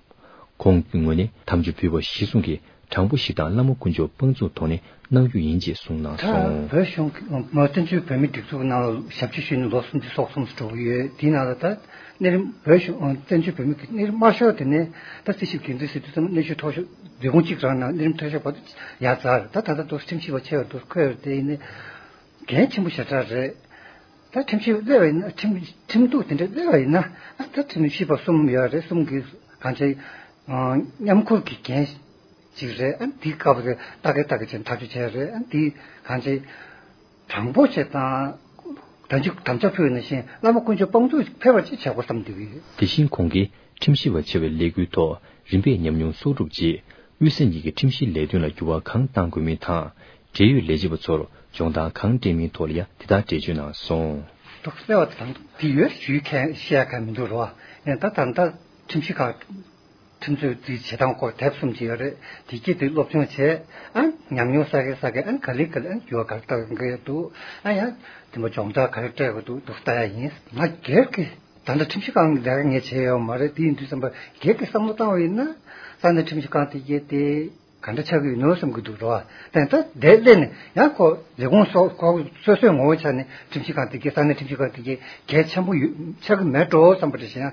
ཁོང་གི་ངོས་ནས་དམ་ཆོས་ཕུལ་བ་གཞིར་བཟུང་གིས། དྲང་པོ་ཞིག་དང་བླ་མ་དཀོན་མཆོག་དཔང་བཙུགས་ཐོག་ནས་གནང་རྒྱུ་ཡིན་ཅེས་གསུངས་གནང་སོང་། བོད་གཞུང་གི་བཙན་བྱོལ་བོད་མིའི་སྒྲིག་འཛུགས་ནང་ལ་ཞབས་ཕྱི་ཞུས་ནས་ལོ་སུམ་ཅུ་སོ་གསུམ་འགྲོ་གི་ཡོད། དེའི་ནང་ལ་ད་གནས་རིམ་བོད་གཞུང་བཙན་བྱོལ་བོད་མི་གི་གནས་རིམ་དམའ་ཤོས་དེ་ནས་ད་རྩིས་ཞིབ་འགན་འཛིན་ཟེར་དུས་ཙམ་གནས་ཤུལ་མཐོ་ཤོས་ལས་ཁུངས་གཅིག་རང་ནང་གནས་རིམ་མཐོ་ཤོས་བར་དུ་ཡར་འཛེགས། ད་ད་ལྟ་དུ་ཁྲིམས་ཞིབ་པ་ཆེ་བར་དུ་འཁོད་ཡོད་དེ་ཡིན་ནའི་འགན་ཆེན་པོ་ཞེ་དྲག་རེད། ད་ཁྲིམས་ཞིབ་སླེབས་པ་ཡིན་ན་ཁྲིམས་ཁྲིམས་གཏུག་དེ་འདྲ་སླེབས་པ་ཡིན་ན་ཨ་ད་ཁྲིམས་ཞིབ་པ་གསུམ་ཡོད་རེད། གསུམ་གྱིས་གང་བྱས་མཉམ་འཁུར་གྱི་འགན་ཅིག་རེད། ཨ་འདི་སྐབས་རེ་ལྟ་གེ་ལྟ་གེ་བྱས་ཐག་གཅོད་བྱས་རེད། ཨ་འདི་གང་བྱས་དྲང་པོ་བྱས་དང་དམ་ཆོས་དམ་བཅའ་ཕུལ་ནང་བཞིན་བླ་མ་དཀོན་མཆོག་དཔང་བཙུགས་ཕེབས་པ་ཅིག་བྱེད་དགོས་བསམ་འདུག་གི། དེ་བཞིན་ཁོང་གིས་ཁྲིམས་ཞིབ་པ་ཆེ་བའི་ལས་འགུལ་ཐོག་རིམ་པས་ཉམས་མྱོང་གསོག་སྒྲུབ་རྗེས། དབུས་ས་གཉིས་ཀྱི་ཁྲིམས་ཞིབ་ལས་དོན་ལ་འགྱུར་བ་གང་གཏང་དགོས་མིན་དང་། འབྲེལ་ཡོད་ལས་བྱེད་པ་ཚོར་སྦྱོང་བརྡར་གང་སྤྲད་མིན་ཐོག་ལ་ཡང་དེ་ལྟར་འགྲེལ་བརྗོད་གནང་སོང་། འདུག་གསལ་བ་དང་དེ་ཡོད་ཞུས་མཁན་བཤད་མཁན་མི་འདུག་རོ། ཡང་ད་ད་ལྟ་ཁྲིམས་ཞིབ་ཁག་ཁྲིམས་རྩོད་རྩིས་བྱེད་སྟངས་སྐོར་དེབ་གསུམ་ཅིག་ཡོད་རེད། དེ་སྐྱིད་དེ་སློབ་སྦྱོང་བྱས། ཨ་ཉམས་མྱོང་བསགས་གི་བསགས་གི་ཨ་ག་ལེ་ག་ལེ་ཨ་འགྱུར་བ་ག་རེ་གཏང་གི་འདུག་ཨ་ཡང་དེ་མ་སྦྱོང་བརྡར་ག་རེ་སྤྲད་དགོས་འདུག་འདུག་ལྟ་ཡ་ཡིན། ང་སྒེར་གྱི་ད་ལྟ་ཁྲིམས་ཞིབ་ཁང་ལས་ཀ་ངས་བྱས་ཡོད་མ་རེད། དེ་ཡིན་དུས་ཙམ་པ་སྒེར་གྱི་བསམ་བློ་བཏང་བ་ཡིན་ན་ས་གནས་ཁྲིམས་ཞིབ་ཁང་དེ་གས་དེ་ག་འདྲ་ཆགས་ཀྱི་ཡོད་ནོ་བསམ་གྱི་འདུག་རོ། དེ་ལྟ་དེ་སླེབས་ནས་ཡང་ཁོ་ལས་ཁུངས་སོགས་ཁོ་སོ་སོའི་ངོ་བོ་ཆ་ནས་ཁྲིམས་ཞིབ་ཁང་དེ་གས་ས་གནས་ཁྲིམས་ཞིབ་ཁང་དེ་གས་གལ་ཆེན་པོ་ཡོད་ཆགས་ཀྱི་མེད་འགྲོ་བསམ་པ་འདྲ་ཞིག་ཡང་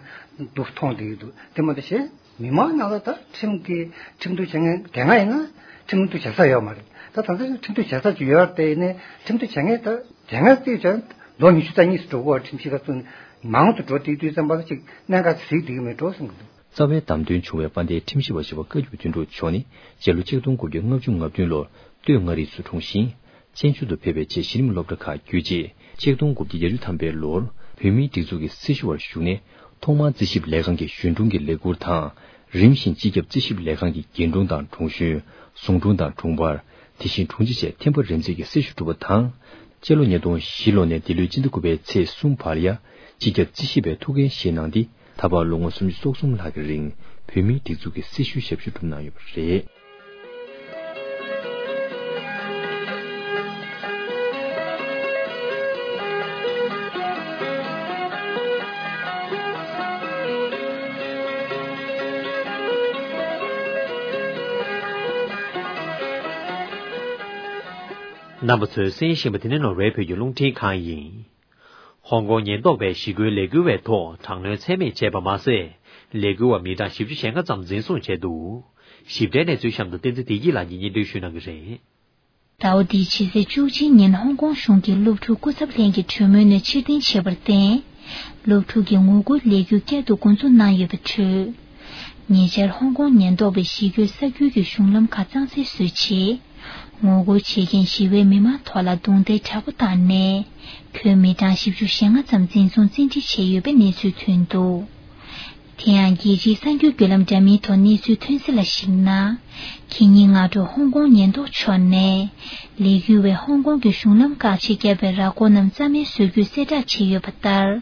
འདུག་མཐོང་བསྡད་ཀྱི་འདུག་དེ་མ་གཏོགས་གཞན་མི་མང་ནང་ལ་ད་ཁྲིམས་ཀྱི་ཁྲིམས་གཏུག་བྱེད་མཁན་དེ་སྔ་ཡིན་ན་ཁྲིམས་གཏུག་བྱེད་ས་ཡོད་མ་རེད། ད་ད་ལྟ་ཁྲིམས་གཏུག་བྱེད་ས་ཅིག་ཡོད་རེད། དེ་ཡིན་ནའི་ཁྲིམས་གཏུག་བྱེད་མཁན་ད་དེ་སྔ་བལྟས་ཀྱང་ལོ་ཉི་ཤུ་རྩ་གཉིས་སུ་འགྲོ་གི་ཡོད། ཁྲིམས་ཞིབ་ཁ་ཚུད་ནས་མང་དུ་འགྲོ་བསྡད་དུས་ཙམ་པ་ལ་ཅིག་གནད་འགག་ཅིག་གཟིགས་བསྡད་ཀྱི་མེད་འགྲོ་བསམ་གྱི་འདུག་རྩ་བའི་བདམས་ཐོན་བྱུང་བའི་དཔལ་ལྡན་ཁྲིམས་ཞིབ་པ་ཞེས་པ་བཀའ་བརྒྱུད་དོན་གྲུབ་མཆོག་ནི་སྤྱི་ལོ་ཆིག་སྟོང་དགུ་བརྒྱ་ལྔ་བཅུ་ང་བདུན་ལོར་སྟོད་མངའ་རིས་སུ་འཁྲུངས་ཤིང་། བཙན་བྱོལ་དུ་ཕེབས་པའི་རྗེས་གཞི་རིམ་སློབ་གྲྭ་ཁག་བརྒྱུད་རྗེས་ཆིག་སྟོང་དགུ་བརྒྱ་བརྒྱད་ཅུ་ཐམ་པའི་ལོར་བོད་མིའི་སྒྲིག་འཛུགས་ཀྱི་སྲི་ཞུ་བར་ཞུགས་ནས་ཐོག་མར་རྩིས་ཞིབ་ལས་ཁང་གི་གཞོན་དྲུང་གི་ལས་ཁུར་དང་། རིམ་བཞིན་སྤྱི་ཁྱབ་རྩིས་ཞིབ་ལས་ཁང་གི་རྒན་དྲུང་དང་དྲུང་གཞོན། ཟུང་དྲུང་དང་དྲུང་འཕར། དེ་བཞིན་དྲུང་ཆེ་བཅས་ཐེམ་པ་རིམ་འཛེགས་ཀྱི་སྲི་ཞུ་གྲུབ་པ་དང་། སྤྱི་ལོ་ཉིས་སྟོང་བཞི་ལོ་ནས་འདི་ལོའི་སྤྱི་ཟླ་དགུ་པའི་ཚེས་གསུམ་བར་ཡ། སྤྱི་ཁྱབ་རྩིས་ཞིབ་པའི་ཐུགས་འགན་བཞེས་གནང་སྟེ། ད་བར་ལོ་ངོ་སུམ་ཅུ་སོ་གསུམ་ལྷག་གི་རིང་བོད་མིའི་སྒྲིག་འཛུགས་ཀྱི་སྲི་ཞུའི་ཞབས་ཞུ་བསྒྲུབས་གནང་ཡོད་པ་རེད། རྣམ་པ་ཚོས་གསན་བཞིན་པ་དེ་ནི་ནོར་ཝེ་བོད་ཀྱི་རླུང་འཕྲིན་ཁང་ཡིན། ཧོང་ཀོང་ཉེན་རྟོག་པས་ཞི་རྒོལ་ལས་འགུལ་བའི་ཐོག་དྲག་གནོན་ཚད་མེད་བྱས་པ་མ་ཟད། ལས་འགུལ་བ་མི་གྲངས་བཞི་བཅུ་ཞེ་ལྔ་ཙམ་འཛིན་བཟུང་བྱས་འདུག། ཞིབ་ཕྲའི་གནས་ཚུལ་གཤམ་དུ་བསྟན་འཛིན་བདེ་སྐྱིད་ལགས་ཀྱིས་སྙན་སྒྲོན་ཞུ་གནང་གི་རེད། ཟླ་བ་འདིའི་ཕྱི་ཚེས་བཅུ་གཅིག་ཉིན་ཧོང་ཀོང་གཞུང་གིས་སློབ་ཕྲུག་སྐུ་ཚབ་ལྷན་གྱི་གྲོས་མོལ་ནས་ཕྱིར་འཐེན་བྱས་པར་བརྟེན། སློབ་ཕྲུག་གི་ངོ་རྒོལ་ལས་འགུལ་བསྐྱར་དུ་འགོ་འཛུགས་གནང་ཡོད་པའི་ཁྲོད། ཉེ་ཆར་ཧོང་ཀོང་ཉེན་རྟོག་པས་ཞི་རྒོལ་ས་ཁུལ་གྱི་གཞུང་ལམ་ཁག་གཙང་སེལ་བཟོས་རྗེས། ངོ་རྒོལ་བྱེད་མཁན་ཞི་བའི་མི་མང་ཐོག་ལ་རྡུང་རྡེག་དྲག་པོ་བཏང་ནས། ཁྱོན་མི་གྲངས་བཞི་བཅུ་ཞེ་ལྔ་ཙམ་འཛིན་བཟུང་བཙན་ཁྲིད་བྱས་ཡོད་པའི་གནས་ཚུལ་ཐོན་འདུག། དེ་ཡང་རྒྱལ་སྤྱིའི་གསར་འགྱུར་བརྒྱུད་ལམ་འདྲ་མིན་ཐོག་གནས་ཚུལ་ཐོན་གསལ་ལ་གཞིགས་ན། ཁེ་ཉིན་སྔ་དྲོ་ཧོང་ཀོང་ཉེན་རྟོག་ཕྱོགས་ནས། ལས་འགུལ་བས་ཧོང་ཀོང་གི་གཞུང་ལམ་བཀག་ཆས་བརྒྱབ་པའི་ར་སྐོར་རྣམས་རྩ་མེད་བཟོ་རྒྱུའི་གསལ་བསྒྲགས་བྱས་ཡོད་པ་ལྟར།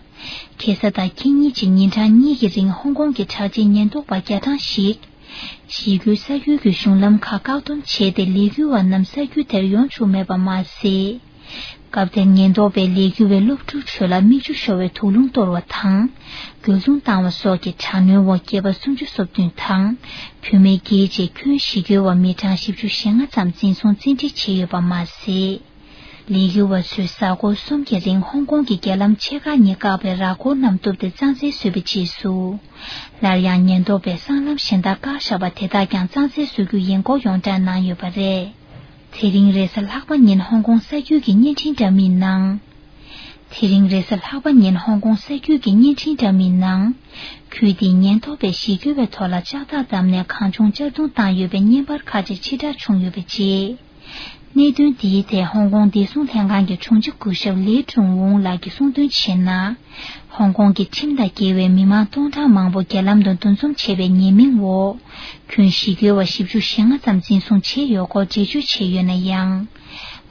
ཁ་སང་དང་ཁེ་ཉིན་བཅས་ཉིན་གྲངས་གཉིས་ཀྱི་རིང་ཧོང་ཀོང་གི་དྲག་ཆས་ཉེན་རྟོག་པ་བརྒྱ་གྲངས་ཤིག། ཞི་རྒོལ་ས་ཁུལ་གྱི་གཞུང་ལམ་ཁག་བཀག་སྡོམ་བྱས་ཏེ་ལས་འགུལ་བ་རྣམས་ས་ཁུལ་དེར་ཡོང་བཅུག་མེད་པ་མ་ཟད། སྐབས་དེར་ཉེན་རྟོག་པས་ལས་འགུལ་བའི་སློབ་ཕྲུག་ཚོ་ལ་མིག་ཆུ་ཤོར་བའི་དུག་རླུང་གཏོར་བ་དང་། རྒོལ་རྡུང་བཏང་བ་སོགས་ཀྱི་དྲག་གནོན་འོག་སྐྱེས་པ་སུམ་ཅུ་སོ་བདུན་དང་བུད་མེད་བརྒྱད་བཅས་ཁྱོན་ཞི་རྒོལ་བ་མི་གྲངས་བཞི་བཅུ་ཞེ་ལྔ་ཙམ་འཛིན་བཟུང་བཙན་ཁྲིད་བྱས་ཡོད་པ་མ་ཟད། ལས་འགུལ་བ་ཚོས་གཟའ་འཁོར་གསུམ་གྱི་རིང་ཧོང་ཀོང་གི་རྒྱ་ལམ་ཆེ་ཁག་གཉིས་བཀག་པའི་ར་སྐོར་རྣམས་གཏུབ་སྟེ་གཙང་སེལ་བཟོས་པའི་རྗེས་སུ། སླར་ཡང་ཉེན་རྟོག་པས་སྲང་ལམ་གཞན་དག་བཀག་བཞག་པ་དེ་དག་ཀྱང་གཙང་སེལ་བཟོ་རྒྱུ་ཡིན་སྐོར་ཡོངས་བསྒྲགས་གནང་ཡོད་པ་རེད། དེ་རིང་རེས་གཟའ་ལྷག་པ་ཉིན་ཧོང་ཀོང་ས་ཁུལ་གྱི་བརྙན་འཕྲིན་འདྲ་མིན་ནང་། དེ་རིང་རེས་གཟའ་ལྷག་པ་ཉིན་ཧོང་ཀོང་ས་ཁུལ་གྱི་བརྙན་འཕྲིན་འདྲ་མིན་ནང་། ཁུལ་དེའི་ཉེན་རྟོག་པས་ཞི་རྒོལ་བའི་ཐོག་ལ་ལྕགས་ཐག་བསྡམས་ནས་གང་བྱུང་གཅར་རྡུང་བཏང་ཡོད་པའི་བརྙན་པར་ཁག་ཅིག་ཕྱིར་བསྒྲགས་བྱུང་ཡོད་པའི་རྗེས། གནད་དོན་འདིའི་ཐད་ཧོང་ཀོང་བདེ་སྲུང་ལྷན་ཁང་གི་དྲུང་ཆེ་སྐུ་ཞབས་ལི་ཀྲུང་ཝུང་ལགས་ཀྱིས་གསུངས་དོན་བྱས་ན། ཧོང་ཀོང་གི་ཁྲིམས་དང་འགལ་བའི་མི་མང་སྟོང་ཕྲག་མང་པོ་རྒྱ་ལམ་དུ་འདུ་འཛོམས་བྱས་པའི་ཉེས་མིང་འོག་ཁྱོན་ཞི་རྒོལ་བ་བཞི་བཅུ་ཞེ་ལྔ་ཙམ་འཛིན་བཟུང་བྱས་ཡོད་སྐོར་འགྲེལ་བརྗོད་བྱས་ཡོད་ན་ཡང་།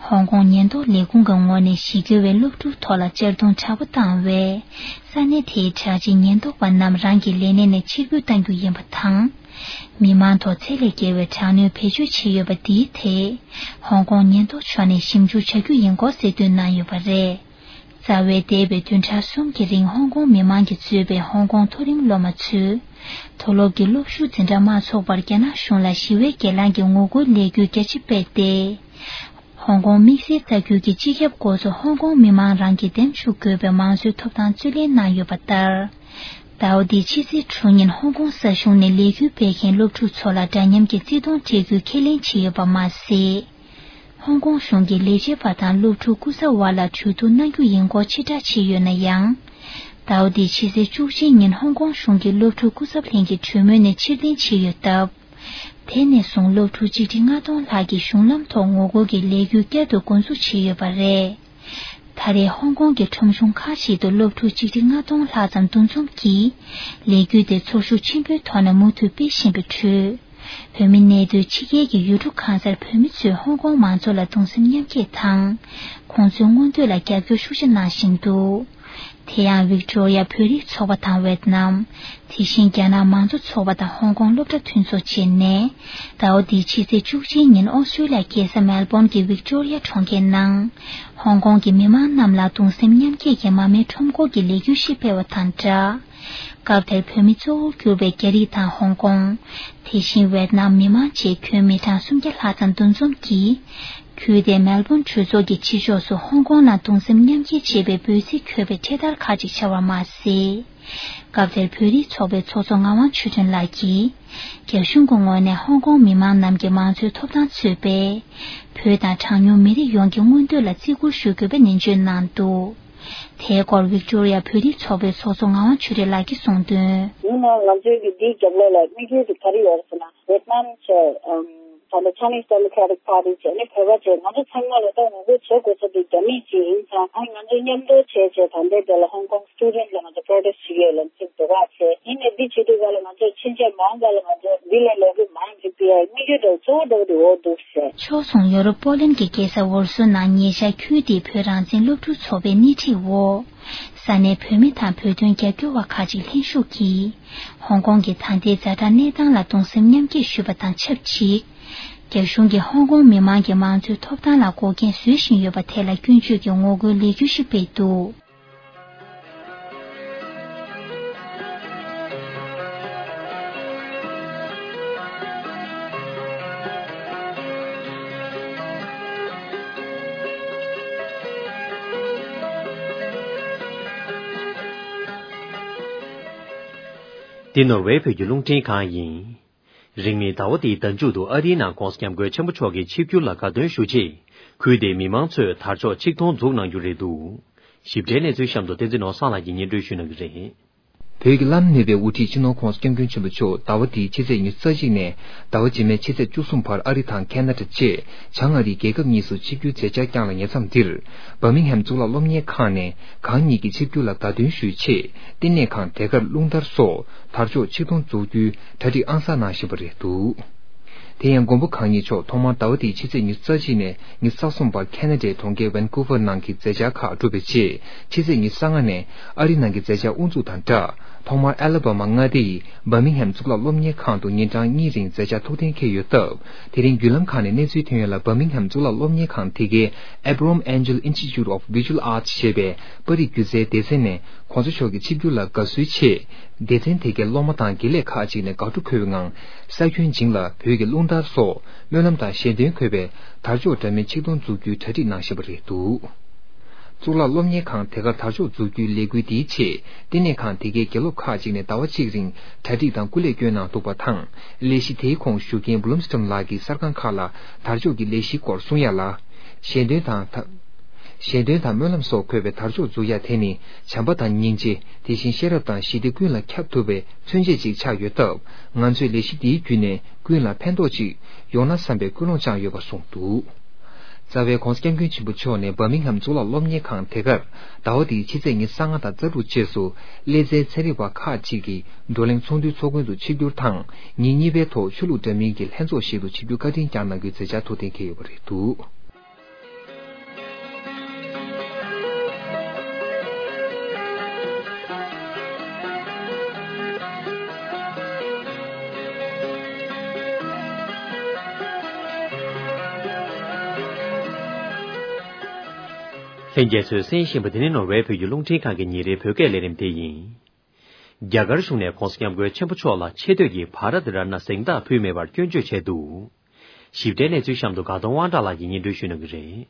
ཧོང་ཀོང་ཉེན་རྟོག་ལས་ཁུངས་ཀྱི་ངོས་ནས་ཞི་རྒོལ་བའི་སློབ་ཕྲུག་ཐོག་ལ་གཅར་རྡུང་དྲག་པོ་བཏང་བས། ས་གནས་དེའི་དྲག་ཆས་ཉེན་རྟོག་པ་རྣམས་རང་གི་ལས་གནས་ནས་ཕྱིར་འབུད་གཏང་རྒྱུ་ཡིན་པ་དང་། མི་མང་ཐོག་ཚད་ལས་བརྒལ་བའི་དྲག་གནོན་བེད་སྤྱོད་བྱས་ཡོད་པ་འདིའི་ཐད། ཧོང་ཀོང་ཉེན་རྟོག་ཕྱོགས་ནས་ཞིབ་འཇུག་བྱ་རྒྱུ་ཡིན་སྐོར་གསལ་སྟོན་གནང་ཡོད་པ་རེད། རྩ་བའི་འདས་པའི་བདུན་ཕྲག་གསུམ་གྱི་རིང་ཧོང་ཀོང་མི་མང་གིས་གཙོས་པའི་ཧོང་ཀོང་མཐོ་རིམ་སློབ་མ་ཚོས། མཐོ་སློབ་ཀྱི་སློབ་ཞུགས་འཛིན་གྲྭ་མ་ཚོགས་པར་རྒྱ་ནག་གཞུང་ལ་ཞི་བའི་སྒེར་ལངས་ཀྱི་ངོ་རྒོལ་ལས་འགུལ་རྒྱ་ཆེ་སྤེལ་ཏེ། ཧོང་ཀོང་དམིགས་བསལ་ས་ཁུལ་གྱི་སྤྱི་ཁྱབ་འགོ་གཙོ་ཧོང་ཀོང་མི་མང་རང་གིས་འདེམས་བཅུག་དགོས་པའི་མང་གཙོའི་ཐོབ་ཐང་རྩོད་ལེན་གནང་ཡོད་པ་ལྟར། ཟླ་བ་འདིའི་ཕྱི་ཚེས་དྲུག་ཉིན་ཧོང་ཀོང་ས་གཞུང་ནས་ལས་འགུལ་སྤེལ་མཁན་སློབ་ཕྲུག་ཚོ་ལ་འདྲ་མཉམ་གྱི་བརྩི་མཐོང་སྤྲད་རྒྱུའི་ཁས་ལེན་བྱས་ཡོད་པ་མ་ཟད། ཧོང་ཀོང་གཞུང་གིས་ལས་བྱེད་པ་དང་སློབ་ཕྲུག་སྐུ་ཚབ་དབར་ལ་གྲོས་བསྡུར་གནང་རྒྱུ་ཡིན་སྐོར་ཕྱིར་བསྒྲགས་བྱས་ཡོད་ན་ཡང་། ཟླ་བ་འདིའི་ཕྱི་ཚེས་བཅུ་གཅིག་ཉིན་ཧོང་ཀོང་གཞུང་གིས་སློབ་ཕྲུག་སྐུ་ཚབ་ལྷན་གྱི་གྲོས་མོལ་ནས་ཕྱིར་འཐེན་བྱས་ཡོད་སྟབས། དེ་ནས་བཟུང་སློབ་ཕྲུག་ཆིག་ཁྲི་ལྔ་སྟོང་ལྷག་གིས་གཞུང་ལམ་ཐོག་ངོ་རྒོལ་གྱི་ལས་འགུལ་བསྐྱར་དུ་འགོ་འཛུགས་བྱས་ཡོད་པ་རེད། ད་རེས་ཧོང་ཀོང་གི་ཁྲོམ་གཞུང་ཁག་ཅིག་ཏུ་སློབ་ཕྲུག་ཆིག་ཁྲི་ལྔ་སྟོང་ལྷག་ཙམ་འདུ་འཛོམས་ཀྱིས་ལས་འགུལ་དེ་ཚོར་ཤུགས་ཆེན་པོའི་ཐོག་ནས་མུ་མཐུད་སྤེལ་བཞིན་པའི་ཁྲོད། བོད་མི་གནས་སྡོད་ཕྱི་རྒྱལ་གྱི་ཡུལ་གྲུ་གང་སར་བོད་མི་ཚོས་ཧོང་ཀོང་མང་ཚོགས་ལ་གདུང་སེམས་མཉམ་སྐྱེད་དང་། ཁོང་ཚོའི་མངོན་འདོད་ལ་རྒྱབ་སྐྱོར་ཤུགས་ཆེ་གནང་བཞིན་འདུག། དེ་ཡང་ཝིག་ཏོ་རི་ཡ་བོད་རིགས་ཚོགས་པ་དང་ཝེད་ནམ། དེ་བཞིན་རྒྱ་ནག་མང་གཙོ་ཚོགས་པ་དང་ཧོང་ཀོང་སློབ་གྲྭ་མཐུན་ཚོགས་བཅས་ནས། ཟླ་བ་འདིའི་ཕྱི་ཚེས་བཅུ་གཅིག་ཉིན་ཨོ་སི་ཀྲོ་ལི་ཡ་རྒྱལ་ས་མེལ་བོན་གྱི་ཝིག་ཏོ་རི་ཡ་གྲོང་ཁྱེར་ནང་། ཧོང་ཀོང་གི་མི་མང་རྣམས་ལ་གདུང་སེམས་མཉམ་སྐྱེད་ཀྱི་མར་མེ་ཁྲོམ་སྐོར་གྱི་ལས་འགུལ་ཞིག་སྤེལ་བ་དང་སྦྲགས། སྐབས་དེར་བོད་མི་གཙོ་བོར་གྱུར་པའི་རྒྱ་རིགས་དང་ཧོང་ཀོང་། དེ་བཞིན་ཝེད་ནམ་མི་མང་བཅས་ཁྱོན་མི་གྲངས་སུམ་བརྒྱ་ལྷག་ཙམ་འདུ་འཛོམས་ཀྱིས། ཁུལ་དེའི་མེལ་བོན་གྲོས་ཚོགས་ཀྱི་ཕྱི་ཕྱོགས་སུ་ཧོང་ཀོང་ནང་གདུང་སེམས་མཉམ་སྐྱེད་ཅེས་པའི་འབོད་ཚིག་འཁོད་པའི་འཕྲེད་དར་ཁག་ཅིག་འཕྱར་བ་མ་ཟད། སྐབས་དེར་བོད་རིགས་ཚོགས་པའི་ཚོགས་གཙོ་ངག་དབང་ཆོས་སྒྲོན་ལགས་ཀྱིས། རྒྱ་གཞུང་གི་ངོས་ནས་ཧོང་ཀོང་མི་མང་རྣམས་ཀྱི་མང་གཙོའི་ཐོབ་ཐང་ཚུད་པའི། བོད་དང་གྲངས་ཉུང་མི་རིགས་ཡོངས་ཀྱི་མངོན་འདོད་ལ་བརྩི་བཀུར་ཞུ་དགོས་པའི་ནན་བརྗོད་གནང་འདུག། དེའི་སྐོར་ཝིག་ཏོ་རི་ཡ་བོད་རིགས་ཚོགས་པའི་ཚོགས་གཙོ་ངག་དབང་ཆོས་སྒྲོན་ལགས་ཀྱིས་གསུངས་དོན། ཡིན་ནའང་ང་ཚོའི་གི་འདིའི་རྒྱབ་ལོགས་ལ་དམིགས་ཡུལ་དེ་ག་རེ་ཡོད་རེད་ཟེར་ན། ཝེད་ནམ་བྱས། ཨམ། ད་ལྟ་Chinese Democratic Party བྱས་ནས་བོད་པ་བྱས། ང་ཚོ་ཚང་མ་ལ་ད་ངོ་རྒོལ་བྱེད་དགོས་ས་དེ་རྒྱ་མི་ཅིག་ཡིན་ཙང་། ཨ། ང་ཚོ་མཉམ་དུ་བྱས་བྱས་ད་ལྟའི་དེ་ལ་Hong Kong student ལ་ང་ཚོ་protest བྱེད་ཀྱི་ཡོད་ལབ་ཚུལ་འདུག་ག་བྱས། ཡིན་ནའི་འདི་བྱེད་དུས་ག་ལ་ང་ཚོ་ཕྱིན་ཆད་མང་ཙམ་ལ་ང་ཚོ་འདི་ལས་ལས་འགུལ་མང་ཅིག་སྤེལ་ཡ་དམིགས་ཡུལ་འདྲ་བོ་གཙོ་བོ་འདྲ་བོ་དེ་འོ་འདུག་བྱས། ཕྱོགས་མཚུངས་ཡོ་རོབ་པོ་ལན་གྱི་རྒྱལ་ས་ཝོར་སོ་ནང་ཉེ་ཆར་ཁུལ་དེའི་བོད་རང་བཙན་སློབ་ཕྲུག་ཚོགས་པའི་སྣེ་ཁྲིད་འོག་ས་གནས་བོད་མི་དང་བོད་དོན་རྒྱབ་སྐྱོར་བ་ཁག་ཅིག་ལྷན་ཞུགས་ཀྱིས། ཧོང་ཀོང་གི་ད་ལྟའི་ཛ་དྲག་གནས་སྟངས་ལ་གདུང་སེམས་མཉམ་སྐྱེད་ཞུས་པ་དང་ཆབས་ཅིག། རྒྱ་གཞུང་གིས་ཧོང་ཀོང་མི་མང་གི་མང་གཙོའི་ཐོབ་ཐང་ལ་འགོག་རྐྱེན་བཟོ་བཞིན་ཡོད་པ་ཐད་ལ་སྐྱོན་བརྗོད་ཀྱི་ངོ་རྒོལ་ལས་འགུལ་ཞིག་སྤེལ་འདུག། འདི་ནོར་ཝེ་བོད་ཀྱི་རླུང་འཕྲིན་ཁང་ཡིན། རིང་མིན་ཟླ་བ་འདིའི་ཟླ་མཇུག་ཏུ་ཨ་རིའི་ནང་༧གོང་ས་༧སྐྱབས་མགོན་ཆེན་པོ་མཆོག་གི་ཆིབས་བསྒྱུར་ལ་དགའ་སྟོན་ཞུ་ཆེད། ཁུལ་དེའི་མི་མང་ཚོས་དར་ལྕོག་ཆིག་སྟོང་འཛུགས་གནང་རྒྱུ་རེད་འདུག། ཞིབ་ཕྲའི་གནས་ཚུལ་གཤམ་དུ་བསྟན་འཛིན་ནོར་བཟང་ལགས་ཀྱིས་སྙན་སྒྲོན་ཞུ་གནང་གི་རེད། བོད་ཀྱི་བླ་ན་མེད་པའི་དབུ་ཁྲིད་སྤྱི་ནོར་༧གོང་ས་༧སྐྱབས་མགོན་ཆེན་པོ་མཆོག་ཟླ་བ་འདིའི་ཕྱི་ཚེས་ཉི་ཤུ་རྩ་གཅིག་ནས་ཟླ་བ་རྗེས་མའི་ཕྱི་ཚེས་བཅུ་གསུམ་བར་ཨ་རི་དང་ཁེ་ན་ཌ་བཅས་བྱང་ཨ་རིའི་རྒྱལ་ཁབ་གཉིས་སུ་ཆིབས་བསྒྱུར་མཛད་འཆར་བསྐྱངས་ལ་ཉེ་མཚམས་འདིར། བར་མིང་ཧེམ་གཙུག་ལག་སློབ་གཉེར་ཁང་ནས་གང་ཉིད་ཀྱི་ཆིབས་བསྒྱུར་ལ་དགའ་སྟོན་ཞུའི་ཆེད། བསྟི་གནས་ཁང་དེ་གར་རླུང་དར་སོགས་དར་ལྕོག་ཆིག་སྟོང་འཛུགས་རྒྱུའི་གྲ་སྒྲིག་ཨང་གསར་གནང་བཞིན་པ་རེད་འདུག། དེ་ཡང་མགོན་པོ་གང་ཉིད་མཆོག་ཐོག་མར་ཟླ་བ་འདིའི་ཕྱི་ཚེས་ཉི་ཤུ་རྩ་གཅིག་ནས་ཉི་ཤུ་རྩ་གསུམ་བར་ཁེ་ན་ཌའི་གྲོང་ཁྱེར་ཝན་ཀུ་ཝར་ནང་གི་མཛད་འཆར་ཁག་གྲུབ་པའི་རྗེས། ཕྱི་ཚེས་ཉི་ཤུ་རྩ་ལྔ་ནས་ཨ་རི་ནང་གི་མཛད་འཆར་དབུ་འཛུགས་དང་སྦྲགས། ཐོག་མར་ཨ་ལ་བ་མ་མངའ་སྡེ་ཡི་བར་མིང་ཧེམ་གཙུག་ལག་སློབ་གཉེར་ཁང་དུ་ཉིན་གྲངས་གཉིས་རིང་མཛད་འཆར་ཐུགས་གཏན་འཁེལ་ཡོད་སྟབས། དེ་རིང་བརྒྱུད་ལམ་ཁག་ནས་གནས་ཚུལ་ཐོན་ཡོད་ལ། བར་མིང་ཧེམ་གཙུག་ལག་སློབ་གཉེར་ཁང་དེ་གའི་Abraham Angel Institute of Visual Arts ཞེས་པའི་པར་རིས་སྒྱུ་རྩལ་སྡེ་ཚན་ནས་༧གོང་ས་མཆོག་གི་ཆིབས་བསྒྱུར་ལ་དགའ་བསུའི་ཆེད། སྡེ་ཚན་དེ་གའི་སློབ་མ་དང་དགེ་ལས་ཁག་ཅིག་ནས་དགའ་སྤྲོ་འཁོལ་བའི་ངང་། ས་ཁྱོན་བྱིངས་ལ་བོད་ཀྱི་རླུང་དར་སོགས་སྨོན་ལམ་དང་ཞལ་འདོན་འཁོད་པའི་དར་ལྕོག་འདྲ་མིན་ཆིག་སྟོང་འཛུགས་རྒྱུའི་གྲ་སྒྲིག་གནང་བཞིན་པ་རེད་འདུག། གཙུག་ལག་སློབ་གཉེར་ཁང་དེ་གར་དར་ལྕོག་འཛུགས་རྒྱུའི་ལས་འགུལ་འདིའི་ཆེད། བསྟི་གནས་ཁང་དེ་གའི་དགེ་སློབ་ཁག་ཅིག་ནས་ཟླ་བ་གཅིག་རིང་གྲ་སྒྲིག་དང་སྐུ་ལས་བསྐྱོན་གནང་འདུག་པ་དང་། ལས་གཞི་དེའི་ཁོངས་ཞུགས་མཁན་བྷུ་ལུམ་སི་ཊོན་ལགས་ཀྱིས་གསར་ཁང་ཁག་ལ་དར་ལྕོག་གི་ལས་གཞིའི་སྐོར་གསུང་ཡ་ལ། ཞལ་འདོན་དང་ད། ཞལ་འདོན་དང་སྨོན་ལམ་སོགས་འཁོད་པའི་དར་ལྕོག་འཛུགས་ཡ་དེ་ནི་བྱམས་པ་དང་སྙིང་རྗེ། དེ་བཞིན་ཤེས་རབ་དང་ཞི་བདེ་ཀུན་ལ་ཁྱབ་ཐུབ་པའི་མཚོན་བྱེད་ཅིག་ཆགས་ཡོད་སྟབས། ང་ཚོས་ལས་གཞི་འདིའི་བརྒྱུད་ནས་ཀུན་ལ་ཕན་ཐོགས་ཅིག་ཡོང་ན་བསམ་པའི་ཀུན་སློང་བཅངས་ཡོད་པ་གསུངས་འདུག། རྩ་བའི་༧གོང་ས་༧སྐྱབས་མགོན་ཆེན་པོ་མཆོག་ནས་བར་མིང་ཧམ་གཙུག་ལག་སློབ་གཉེར་ཁང་དེ་གར་ཟླ་བ་འདིའི་ཕྱི་ཚེས་ཉི་ཤུ་རྩ་ལྔ་དང་རྩ་དྲུག་བཅས་སུ་ཀླད་རྩའི་ཚན་རིག་པ་ཁག་ཅིག་གིས་བགྲོ་གླེང་ཚོགས་འདུའི་ཚོགས་མགོན་དུ་ཆིབས་བསྒྱུར་དང་། ཉིན་གཉིས་པའི་ཐོག་ཆོས་ལུགས་འདྲ་མིན་གྱི་ལྷན་ཚོགས་ཤིག་ཏུ་ཆིབས་བསྒྱུར་བཀའ་དྲིན་བསྐྱངས་གནང་རྒྱུའི་མཛད་འཆར་ཐུགས་གཏན་འཁེལ་ཡོད་པ་རེད་འདུག། ལྷན་རྒྱས་ཚོས་གསན་བཞིན་པ་དེ་ནི་ནོར་ཝེ་བོད་ཀྱི་རླུང་འཕྲིན་ཁང་གི་ཉིན་རེའི་བོད་སྐད་ལས་རིམ་དེ་ཡིན། རྒྱ་གར་གཞུང་ནས་༧གོང་ས་༧སྐྱབས་མགོན་ཆེན་པོ་མཆོག་ལ་ཆེ་བསྟོད་ཀྱི་བྷ་རཏ་རཏ་ན་གཟེངས་རྟགས་ཕུལ་མེད་པར་སྐྱོན་བརྗོད་བྱས་འདུག། ཞིབ་ཕྲའི་གནས་ཚུལ་གཤམ་དུ་དགའ་གདོང་དབང་གྲགས་ལགས་ཀྱིས་སྙན་སྒྲོན་ཞུ་གནང་གི་རེད།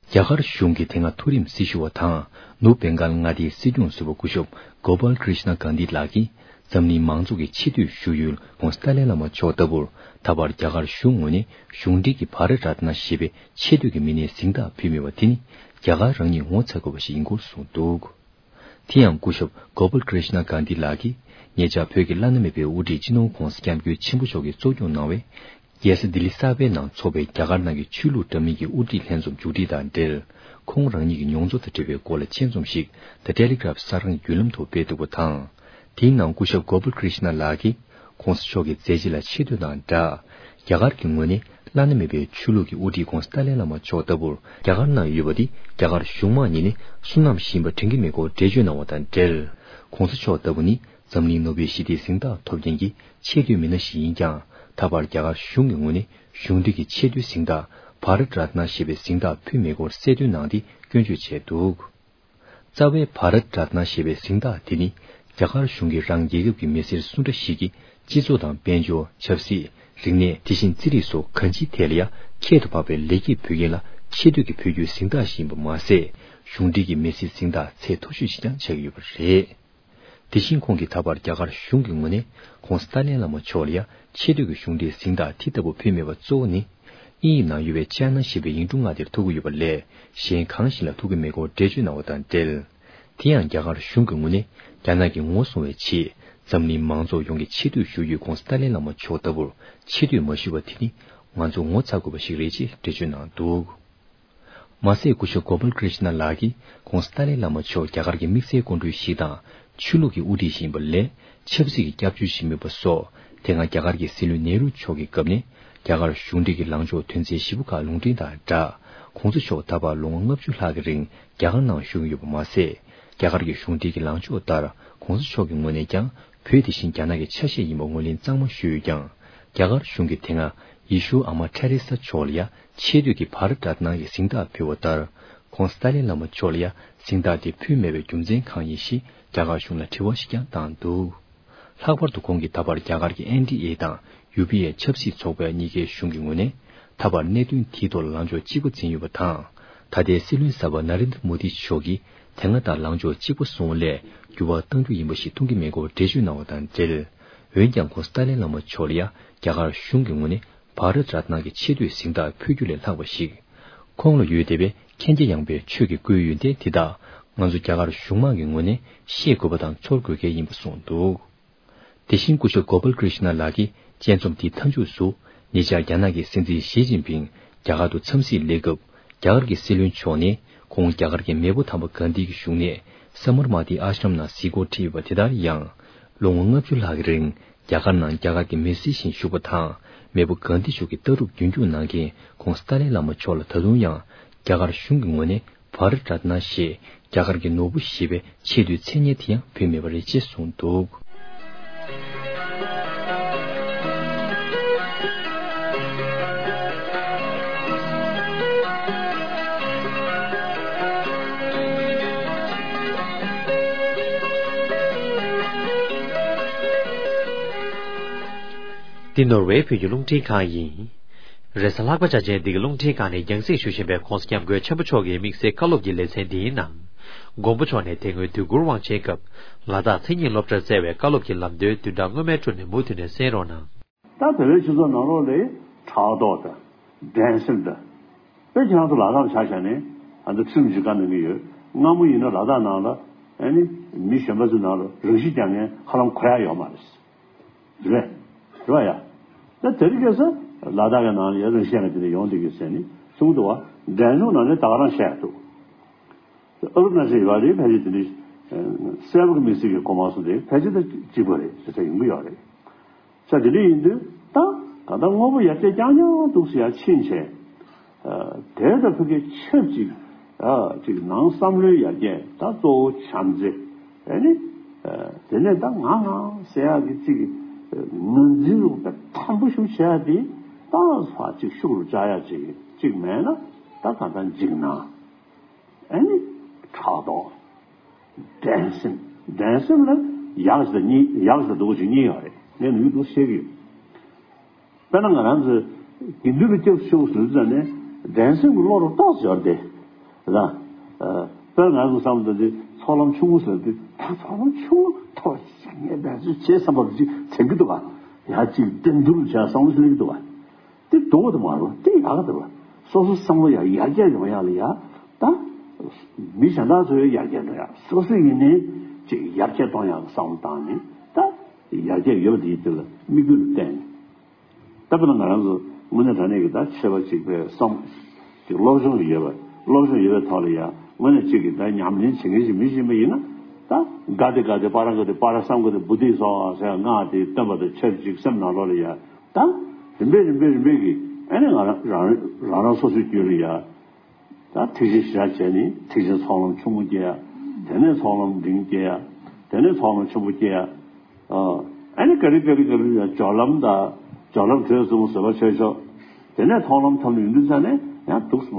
རྒྱ་གར་གཞུང་གི་དེ་སྔ་མཐོ་རིམ་སྲི་ཞུ་བ་དང་ནུབ་བེང་གཱལ་མངའ་སྡེའི་སྲིད་སྐྱོང་ཟུར་པ་སྐུ་ཞབས་Gopal Krishna Gandhi ལགས་ཀྱིས་འཛམ་གླིང་མང་ཚོགས་ཀྱི་ཆེ་བསྟོད་ཞུ་ཡུལ་༧གོང་ས་ཏཱ་ལའི་བླ་མ་མཆོག་ལྟ་བུར་ད་བར་རྒྱ་གར་གཞུང་ངོས་ནས་གཞུང་འབྲེལ་གྱི་བྷ་རཏ་རཏ་ན་ཞེས་པའི་ཆེ་བསྟོད་ཀྱི་མི་སྣའི་གཟེངས་རྟགས་ཕུལ་མེད་པ་དེ་ནི་རྒྱ་གར་རང་ཉིད་ངོ་ཚ་དགོས་པ་ཞིག་ཡིན་སྐོར་གསུངས་འདུག། དེ་ཡང་སྐུ་ཞབས་Gopal Krishna Gandhi ལགས་ཀྱིས་ཉེ་ཆར་བོད་ཀྱི་བླ་ན་མེད་པའི་དབུ་ཁྲིད་སྤྱི་ནོར་༧གོང་ས་༧སྐྱབས་མགོན་ཆེན་པོ་མཆོག་གིས་གཙོ་སྐྱོང་གནང་བའི་རྒྱལ་ས་ལྡི་ལི་གསར་པའི་ནང་འཚོགས་པའི་རྒྱ་གར་ནང་གི་ཆོས་ལུགས་འདྲ་མིན་གྱི་དབུ་ཁྲིད་ལྷན་འཛོམས་མཇུག་སྒྲིལ་དང་འབྲེལ། ཁོང་རང་ཉིད་ཀྱི་མྱོང་ཚོར་དང་འབྲེལ་བའི་སྐོར་ལ་ཆེད་རྩོམ་ཞིག་The Telegraph གསར་ཁང་བརྒྱུད་ལམ་དུ་སྤེལ་འདུག་པ་དང་། དེའི་ནང་སྐུ་ཞབས་Gopal Krishna ལགས་ཀྱིས་༧གོང་ས་མཆོག་གི་མཛད་རྗེས་ལ་ཆེ་བསྟོད་དང་སྦྲགས། རྒྱ་གར་གྱི་ངོས་ནས་བླ་ན་མེད་པའི་ཆོས་ལུགས་ཀྱི་དབུ་ཁྲིད་༧གོང་ས་ཏཱ་ལའི་བླ་མ་མཆོག་ལྟ་བུར་རྒྱ་གར་ནང་ཡོད་པ་འདི་རྒྱ་གར་གཞུང་མང་གཉིས་ནས་བསོད་ནམས་ཤིག་ཡིན་པ་དྲན་གྱི་མེད་སྐོར་འགྲེལ་བརྗོད་གནང་བ་དང་འབྲེལ། ༧གོང་ས་མཆོག་ལྟ་བུ་ནི་འཛམ་གླིང་ནོ་བེལ་ཞི་བདེའི་གཟེངས་རྟགས་ཐོབ་མཁན་གྱི་ཆེ་བསྟོད་མི་སྣ་ཞིག་ཡིན་ཀྱང་། ད་བར་རྒྱ་གར་གཞུང་གི་ངོས་ནས་གཞུང་འབྲེལ་གྱི་ཆེ་བསྟོད་གཟེངས་རྟགས་བྷ་རཏ་རཏ་ན་ཞེས་པའི་གཟེངས་རྟགས་ཕུལ་མེད་སྐོར་གསལ་སྟོན་གནང་སྟེ་སྐྱོན་བརྗོད་བྱས་འདུག། རྩ་བའི་བྷ་རཏ་རཏ་ན་ཞེས་པའི་གཟེངས་རྟགས་དེ་ནི་རྒྱ་གར་གཞུང་གིས་རང་རྒྱལ་ཁབ་ཀྱི་མི་སེར་སུ་འདྲ་ཞིག་གིས་སྤྱི་ཚོགས་དང་དཔལ་འབྱོར། ཆབ་སྲིད། རིག་གནས། དེ་བཞིན་རྩིས་རིག་སོགས་གང་ཅིའི་ཐད་ལ་ཡང་ཁྱད་དུ་འཕགས་པའི་ལེགས་སྐྱེས་ཕུལ་མཁན་ལ་ཆེ་བསྟོད་ཀྱི་ཕུལ་རྒྱུའི་གཟེངས་རྟགས་ཤིག་ཡིན་པ་མ་ཟད། གཞུང་འབྲེལ་གྱི་མི་སེར་གཟེངས་རྟགས་ཚད་མཐོ་ཤོས་ཤིག་ཀྱང་ཆགས་ཀྱི་ཡོད་པ་རེད། དེ་བཞིན་ཁོང་གིས་ད་བར་རྒྱ་གར་གཞུང་གི་ངོས་ནས་༧གོང་ས་ཏཱ་ལའི་བླ་མ་མཆོག་ལ་ཡང་ཆེ་བསྟོད་ཀྱི་གཞུང་འབྲེལ་གཟེངས་རྟགས་དེ་ལྟ་བུ་ཕུལ་མེད་པ་གཙོ་བོ་ནི། དབྱིན་ཡིག་ནང་ཡོད་པའི་ཅཱ་ན་ཞེས་པའི་ཡིག་འབྲུ་ལྔ་དེར་ཐུག་གི་ཡོད་པ་ལས་གཞན་གང་ཞིག་ལ་ཐུག་གི་མེད་སྐོར་འགྲེལ་བརྗོད་གནང་བ་དང་འབྲེལ། དེ་ཡང་རྒྱ་གར་གཞུང་གི་ངོས་ནས་རྒྱ་ནག་གི་ངོ་སྲུང་བའི་ཆེད་འཛམ་གླིང་མང་ཚོགས་ཡོངས་ཀྱི་ཆེ་བསྟོད་ཞུ་ཡུལ་༧གོང་ས་ཏཱ་ལའི་བླ་མ་མཆོག་ལྟ་བུར་ཆེ་བསྟོད་མ་ཞུས་པ་དེ་ནི་ང་ཚོ་ངོ་ཚ་དགོས་པ་ཞིག་རེད་ཅེས་འགྲེལ་བརྗོད་གནང་འདུག། མ་ཟད་སྐུ་ཞབས་Gopal Krishna ལགས་ཀྱིས་༧གོང་ས་ཏཱ་ལའི་བླ་མ་མཆོག་རྒྱ་གར་གྱི་དམིགས་བསལ་སྐུ་མགྲོན་ཞིག་དང་ཆོས་ལུགས་ཀྱི་དབུ་ཁྲིད་ཞིག་ཡིན་པ་ལས་ཆབ་སྲིད་ཀྱི་སྐྱབས་བཅོལ་ཞིག་མིན་པ་སོགས། དེ་སྔ་རྒྱ་གར་གྱི་སྲིད་བློན་ནེ་རུ་མཆོག་གི་སྐབས་ནས་རྒྱ་གར་གཞུང་འབྲེལ་གྱི་ལངས་ཕྱོགས་དོན་ཚན་བཞི་པོ་ཁག་ལུང་འདྲེན་དང་སྦྲགས། ༧གོང་ས་མཆོག་ད་བར་ལོ་ངོ་ལྔ་བཅུ་ལྷག་གི་རིང་རྒྱ་གར་ནང་བཞུགས་ཡོད་པ་མ་ཟད། རྒྱ་གར་གྱི་གཞུང་འབྲེལ་གྱི་ལངས་ཕྱོགས་ལྟར་༧གོང་ས་མཆོག་གི་ངོས་ནས་ཀྱང་བོད་དེ་བཞིན་རྒྱ་ནག་གི་ཆ་ཤས་ཡིན་པ་ངོས་ལེན་གཙང་མ་ཞུས་ཡོད་ཀྱང་། རྒྱ་གར་གཞུང་གིས་དེ་སྔ་ཡེ་ཤུ་ཨ་མ་ཐེ་རེ་ས་མཆོག་ལ་ཡང་ཆེ་བསྟོད་ཀྱི་བྷ་རཏ་རཏ་ན་གི་གཟེངས་རྟགས་ཕུལ་བ་ལྟར། ༧གོང་ས་ཏཱ་ལའི་བླ་མ་མཆོག་ལ་ཡང་གཟེངས་རྟགས་དེ་ཕུལ་མེད་པའི་རྒྱུ་མཚན་གང་ཡིན་ཞེས་རྒྱ་གར་གཞུང་ལ་དྲི་བ་ཞིག་ཀྱང་བཏང་འདུག། ལྷག་པར་དུ་ཁོང་གིས་ད་བར་རྒྱ་གར་གྱི་ཨེན་ཌི་ཨེ་དང་ཡུ་པི་ཨེ་ཆབ་སྲིད་ཚོགས་པ་གཉིས་ཀའི་གཞུང་གི་ངོས་ནས་ད་བར་གནད་དོན་དེའི་ཐོག་ལ་ལངས་ཕྱོགས་གཅིག་པ་འཛིན་ཡོད་པ་དང་། ད་ལྟའི་སྲིད་བློན་གསར་པ་ན་རེན་དྲ་མོ་དི་མཆོག་གིས་དེ་སྔ་ལྟར་ལངས་ཕྱོགས་གཅིག་པ་བཟུང་བ་ལས་འགྱུར་བ་གཏང་རྒྱུ་ཡིན་པ་ཞིག་མཐོང་གི་མེད་སྐོར་འགྲེལ་བརྗོད་གནང་བ་དང་འབྲེལ། འོན་ཀྱང་ཁོང་སྟཱ་ལའི་བླ་མ་མཆོག་ལ་ཡང་རྒྱ་གར་གཞུང་གི་ངོས་ནས་བྷ་རཏ་རཏ་ན་གི་ཆེ་བསྟོད་གཟེངས་རྟགས་ཕུལ་རྒྱུ་ལས་ལྷག་པ་ཞིག་ཁོང་ལ་ཡོད་བསྡད་པའི་མཁྱེན་རྒྱ་ཡངས་པའི་ཆོས་ཀྱི་སྐུའི་ཡོན་ཏན་དེ་དག་ང་ཚོ་རྒྱ་གར་གཞུང་མང་གི་ངོས་ནས་ཤེས་དགོས་པ་དང་ཚོར་དགོས་གལ་ཡིན་པ་གསུངས་འདུག་དེ་བཞིན་སྐུ་ཞབས་Gopal Krishna་ལགས་ཀྱིས་དཔྱད་རྩོམ་དེའི་མཐའ་མཇུག་ཏུ། ཉེ་ཆར་རྒྱ་ནག་གི་སྲིད་འཛིན་ཞི་ཅིན་ཕིང་རྒྱ་གར་དུ་འཚམས་གཟིགས་སླེབས་སྐབས། རྒྱ་གར་གྱི་སྲིད་བློན་མཆོག་ནས་ཁོང་རྒྱ་གར་གྱི་མེས་པོ་དམ་པ་གྷན་དྷི་གི་བཞུགས་གནས་ས་མར་མ་ཏི་ཨཱ་ཤྲམ་ནང་གཟིགས་སྐོར་ཁྲིད་ཡོད་པ་དེ་ལྟར་ཡང་། ལོ་ངོ་ལྔ་བཅུ་ལྷག་གི་རིང་རྒྱ་གར་ནང་རྒྱ་གར་གྱི་མི་སེར་བཞིན་བཞུགས་པ་དང་། མེས་པོ་གྷན་དྷི་མཆོག་གི་ལྟ་གྲུབ་རྒྱུན་སྐྱོང་གནང་མཁན་ཁོང་སྟཱ་ལའི་བླ་མ་མཆོག་ལ་ད་དུང་ཡང་རྒྱ་གར་གཞུང་གི་ངོས་ནས་བྷ་རཏ་རཏ་ན་ཞེས་རྒྱ་གར་གྱི་ནོར་བུ་ཞེས་པའི་ཆེས་མཐོའི་མཚན་སྙན་དེ་ཡང་ཕུལ་མེད་པ་རེད་ཅེས་གསུངས་འདུག་འདི་ནོར་ཝེ་བོད་ཀྱི་རླུང་འཕྲིན་ཁང་ཡིན། རེས་གཟའ་ལྷག་པ་འཆར་ཅན་འདི་གའི་རླུང་འཕྲིན་ཁང་ནས་རྒྱང་སྲིང་ཞུ་བཞིན་པའི་༸གོང་ས་༸སྐྱབས་མགོན་ཆེན་པོ་མཆོག་གི་དམིགས་བསལ་བཀའ་སློབ་ཀྱི་ལེ་ཚན་འདིའི་ནང་། མགོན་པོ་མཆོག་ནས་དེ་སྔོན་དུས་འཁོར་དབང་ཆེན་སྐབས་ལ་དྭགས་མཚན་ཉིད་སློབ་གྲྭར་བསྩལ་བའི་བཀའ་སློབ་ཀྱི་ལམ་སྟོན་བདུན་ཕྲག་སྔོན་མའི་འཕྲོ་ནས་མུ་མཐུད་ནས་གསན་རོགས་གནང་། ད་བོད་པའི་སྤྱི་ཚོགས་ནང་ལོགས་ལ་ཕྲག་དོག་དང་། འགྲན་སེམས་དང་། དཔེ་ཁྱེད་རང་ཚོ་ལ་དྭགས་ཆ་བཞག་ནས་ཨ་ནི་ཁྲིམས་ཀྱི་བཀའ་གནང་གི་ཡོད། སྔ་མོ་ཡིན་ན་ལ་དྭགས་ནང་ལ་ཨ་ནི་མི་གཞན་པ་ཚོའི་ནང་ལ་རང་ཤི་རྒྱག་མཁན་ཧ་ལམ་གོ་ཡ་ཡོད་མ་རེད། རེད། རེད་བ་ཡ། ད་དེ་རིང་ཁ་སང་ལ་དྭགས་ཀྱི་ནང་ལ་ཡ་རང་ཤི་རྒྱག་མཁན་དེ་འདྲ་ཡོང་བསྡད་ཀྱི་ཟེར་ནས་གསུངས་འདུག་བ། འགྲན་ཚོགས་ནང་ནས་ད་ག་རང་བཤད་འདུག་ཨ་རུ་ན་ཅལ་ཡོད་རེད། ཕལ་ཆེར་དེ་འདྲའི་གསལ་པོ་གི་མི་སྲིད་ཀྱི་གོ་མ་སོང་སྟེ་ཕལ་ཆེར་ད་གཅིག་པ་རེད་ཟེར་ས་ཡོང་གི་ཡོད་རེད། ས་དེ་འདྲ་ཡིན་དུས་ད་ག་ད་དངོས་པོ་ཡར་རྒྱས་རྐྱང་རྐྱང་འདུག་ཟེར་ཡ་ཕྱིན་ཆད། དེ་ད་ཕ་གི་ཆབས་ཅིག་ཅིག་ནང་བསམ་བློའི་ཡར་རྒྱས་ད་གཙོ་བོ་བྱམས་བརྩེ། ཨ་ནི། དེ་ནས་ད་ང་ང་ཟེར་ཡ་གི་ཅིག་ངོས་འཛིན་རུ་དེ་དམ་པོ་ཞིག་བྱེད་ཡ་དེ་ད་ཕར་ཅིག་ཤུགས་རུ་བཅག་ཡ་ཅིག་ཅིག་མེད་ན་ད་ག་ད་འཇིགས་སྣང་། ཨ་ནི། ཕྲག་དོག་འགྲན་སེམས། འགྲན་སེམས་ལ་ཡག་ཞིག་དང་གཉིས། ཡག་ཞིག་དང་སྡུག་ཞིག་གཉིས་ཡོད་རེད། ངས་ནུས་འདུག་བཤད་ཀྱི་ཡོད། དཔེར་ན་ང་རང་ཚོས་དགེ་འདུན་པའི་སྐྱབས་སུ་མཆིའོ་ཟེར་ཙང་ནས་འགྲན་སེམས་ཀྱི་བློ་རུ་ཏོག་ཙམ་ཡོད་རེད་དེ། ལ། དཔེར་ན་ང་ཚོ་བསམ་བློ་བཏང་དུས་ཚོགས་ལམ་ཆུང་ངུ་ཟེར་དུས་ད་ཚོགས་ལམ་ཆུང་ངུ་ཐོག་ཞིག་ངས་འགྲན་སེམས་བྱེད་བསམ་པ་ཅིག་དྲན་གྱི་འདུག་ག་ཡ་གཅིག་འགྲན་བསྡུར་བྱ་བསམ་བློ་ཞིག་སླེབས་ཀྱི་འདུག་ག་དེ་སྡུག་པོ་དེ་མ་རེད་པ། དེ་ཡག་ག་དེ་རེད་པ། སོ་སོ་བསམ་བློ་ཡར་ཡར་རྒྱས་ཡོང་ཡག་ལ་ཡ། ད་མི་གཞན་དག་ཚོ་ཡང་ཡར་རྒྱས་འགྲོ་ཡག་སོ་སོ་ཡིན་ནའི་ཅིག་ཡར་རྒྱས་གཏོང་ཡག་གི་བསམ་བློ་བཏང་ནས་ད་ཡར་རྒྱས་ཡོད་པ་དེའི་དེ་ལ་དམིགས་ཡུལ་བསྟན་ནས། ད་དཔེར་ན་ང་རང་ཚོ་དངོས་གནས་དྲང་གནས་ཀྱི་ད་ཆོས་པ་གཅིག་པའི་བསམ་ཅིག་སློབ་སྦྱོང་ཡོད་པ། སློབ་སྦྱོང་ཡོད་པའི་ཐོག་ལ་ཡང་དངོས་གནས་གཅིག་གིས་ད་ཉམས་ལེན་བྱེད་མཁན་ཞིག་མི་ཤེས་པ་ཡིན་ན། ད་ག་དེ་ག་དེ་པ་ར་ག་དེ་པ་ར་སམ་ག་དེ་བུ་དྷི་སྭཱ་ཧཱ་ཟེར་སྔགས་དེ་བཏོན་པ་དང་ཆབས་ཅིག་སེམས་ནང་ལོགས་ལ་ཡ། ད་རིམ་པས་རིམ་པས་རིམ་པས་ཀྱིས་ཨ་ནི་ང་རང་རང་རང་རང་སོ་སོའི་རྒྱུད་ལ་ཡ། ད་ཐེག་ཆེན་ཞེ་དྲག་བྱས་ནས་ཐེག་ཆེན་ཚོགས་ལམ་ཆུང་ངུ་སྐྱེ་ཡ། དེ་ནས་ཚོགས་ལམ་འབྲིང་སྐྱེ་ཡ། དེ་ནས་ཚོགས་ལམ་ཆེན་པོ་སྐྱེ་ཡ། ཨ་ནི་ཀ་རི་ཀ་རི་ཀ་རི་ཡ་སྦྱོར་ལམ་དང་སྦྱོར་ལམ་དྲོད་གསུམ་བཟོད་པ་ཆོས་མཆོག་དེ་ནས་མཐོང་ལམ་ཐོབ་ནས་ཡོང་དུས་ཙ་ནས་ཡང་འདུག་སེ་མ་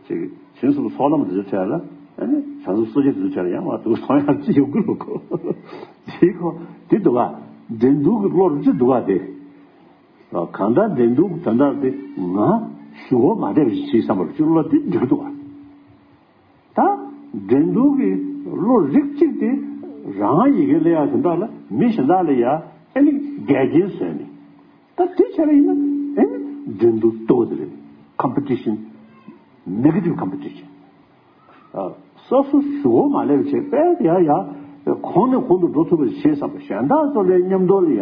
ཅིག་བྱང་སེམས་ཚོགས་ལམ་དེ་ཚོའི་གྲས་ལ་ཨ་ནི་བྱང་སེམས་སོ་སྐྱེ་དེ་ཚོའི་གྲས་ལ་ཡང་མ་འདུག་སེ་མཐོང་ཡག་ཅི་ཡོང་གི་རེད་གོ་དེ་གོ་དེ་འདུག་ག་འགྲན་བསྡུར་གྱི་བློ་རུ་ཅི་འདུག་ག་དེ། གང་ལྟར་འགྲན་བསྡུར་དོན་དག་དེ་ང་ཞུ་བ་མ་བསྡད་པ་ཞིག་བྱེད་བསམ་པར་ཅིག་བློ་དེ་འགྲིག་གི་འདུག་ག་ད་འགྲན་བསྡུར་གྱི་བློ་རིགས་གཅིག་དེ་རང་ཡི་གེ་ལ་ཡ་དོན་དག་ལ་མི་གཞན་དག་ལ་ཡ་ཨེ་ནི་འགལ་རྐྱེན་བཟོས་ནས། ད་དེ་བྱས་པ་ཡིན་ན་ཨེ་ནི་འགྲན་བསྡུར་ལྟ་བུ་དེ་རེད། ཀམ་པི་ཊི་ཤན། ནེ་གེ་ཊིབ་ཀམ་པི་ཊི་ཤན། སོ་སོ་ཞུ་བ་མ་ལེབ་བྱས་པས་ཡ་ཡ། གོང་ནས་གོང་དུ་འགྲོ་ཐུབ་པ་ཞིག་བྱེད་བསམ་པ་གཞན་དག་ཚོ་ལ་མཉམ་དུ་ལ་ཡ་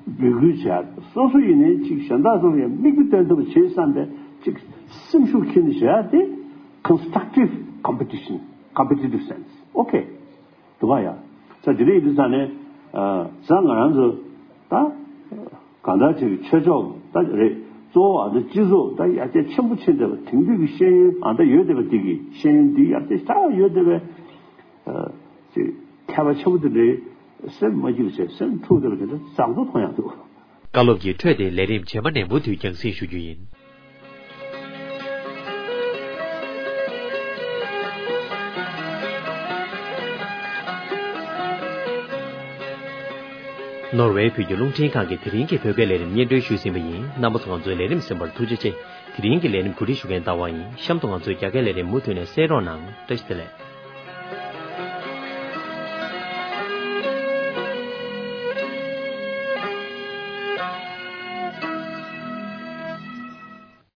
འབོད་སྐུལ་བྱས། སོ་སོ་ཡིན་ནའི་ཅིག་གཞན་དག་ཚོ་ལ་ཡ་མིག་དཔེ་སྟོན་ཐུབ་པ་བྱེད་བསམ་པའི་ཅིག་སེམས་ཤུགས་ཁྱེར་ནས་བྱས་ཏེ། constructive competition, competitive sense. Okay. འདུག་ག་ཡ། ས་དེ་འདྲ་ཡིན་དུས་ཙ་ནས། ས་ང་རང་ཚོ་ད། གང་ལྟར་ཅིག་ཆོས་ཕྱོགས་ད་རེད། གཙོ་བོ་ཨ་ནི་སྤྱི་ཚོགས་ད་ཡར་རྒྱས་ཆེན་པོ་ཕྱིན་བསྡད་པ་དེང་དུས་ཀྱི་ཤེས་ཡོན་ཨ་ད་ཡོད་བསྡད་པ་འདི་གི་ཤེས་ཡོན་འདི་ཡར་རྒྱས་ཤ་ཡོད་བསྡད་པའི་ཅིག་མཁས་པ་ཆེན་པོ་དེ་འདྲའི་སེམས་མ་སྐྱིད་པ་བྱས་སེམས་འཁྲུག་བསྡད་པ་དེ་འདྲ་བཟང་པོ་མཐོང་ཡག་འདུག་བཀའ་སློབ་ཀྱི་འཕྲོས་དེ་ལས་རིམ་རྗེས་མ་ནས་མུ་མཐུད་རྒྱང་སྲིང་ཞུ་རྒྱུ་ཡིན། ནོར་ཝེ་བོད་ཀྱི་རླུང་འཕྲིན་ཁང་གི་དེ་རིང་གི་བོད་སྐད་ལས་རིམ་སྙན་སྒྲོན་ཞུས་ཟིན་པ་ཡིན། རྣམ་པ་ཚོ་ང་ཚོའི་ལས་རིམ་གསན་པར་ཐུགས་རྗེ་ཆེ། དེ་རིང་གི་ལས་རིམ་གོ་སྒྲིག་ཞུ་མཁན་ཟླ་བ་ཡིན། གཤམ་དུ་ང་ཚོའི་རྒྱ་སྐད་ལས་རིམ་མུ་མཐུད་ནས་གསན་རོགས་གནང་། བཀྲ་ཤིས་བདེ་ལེགས།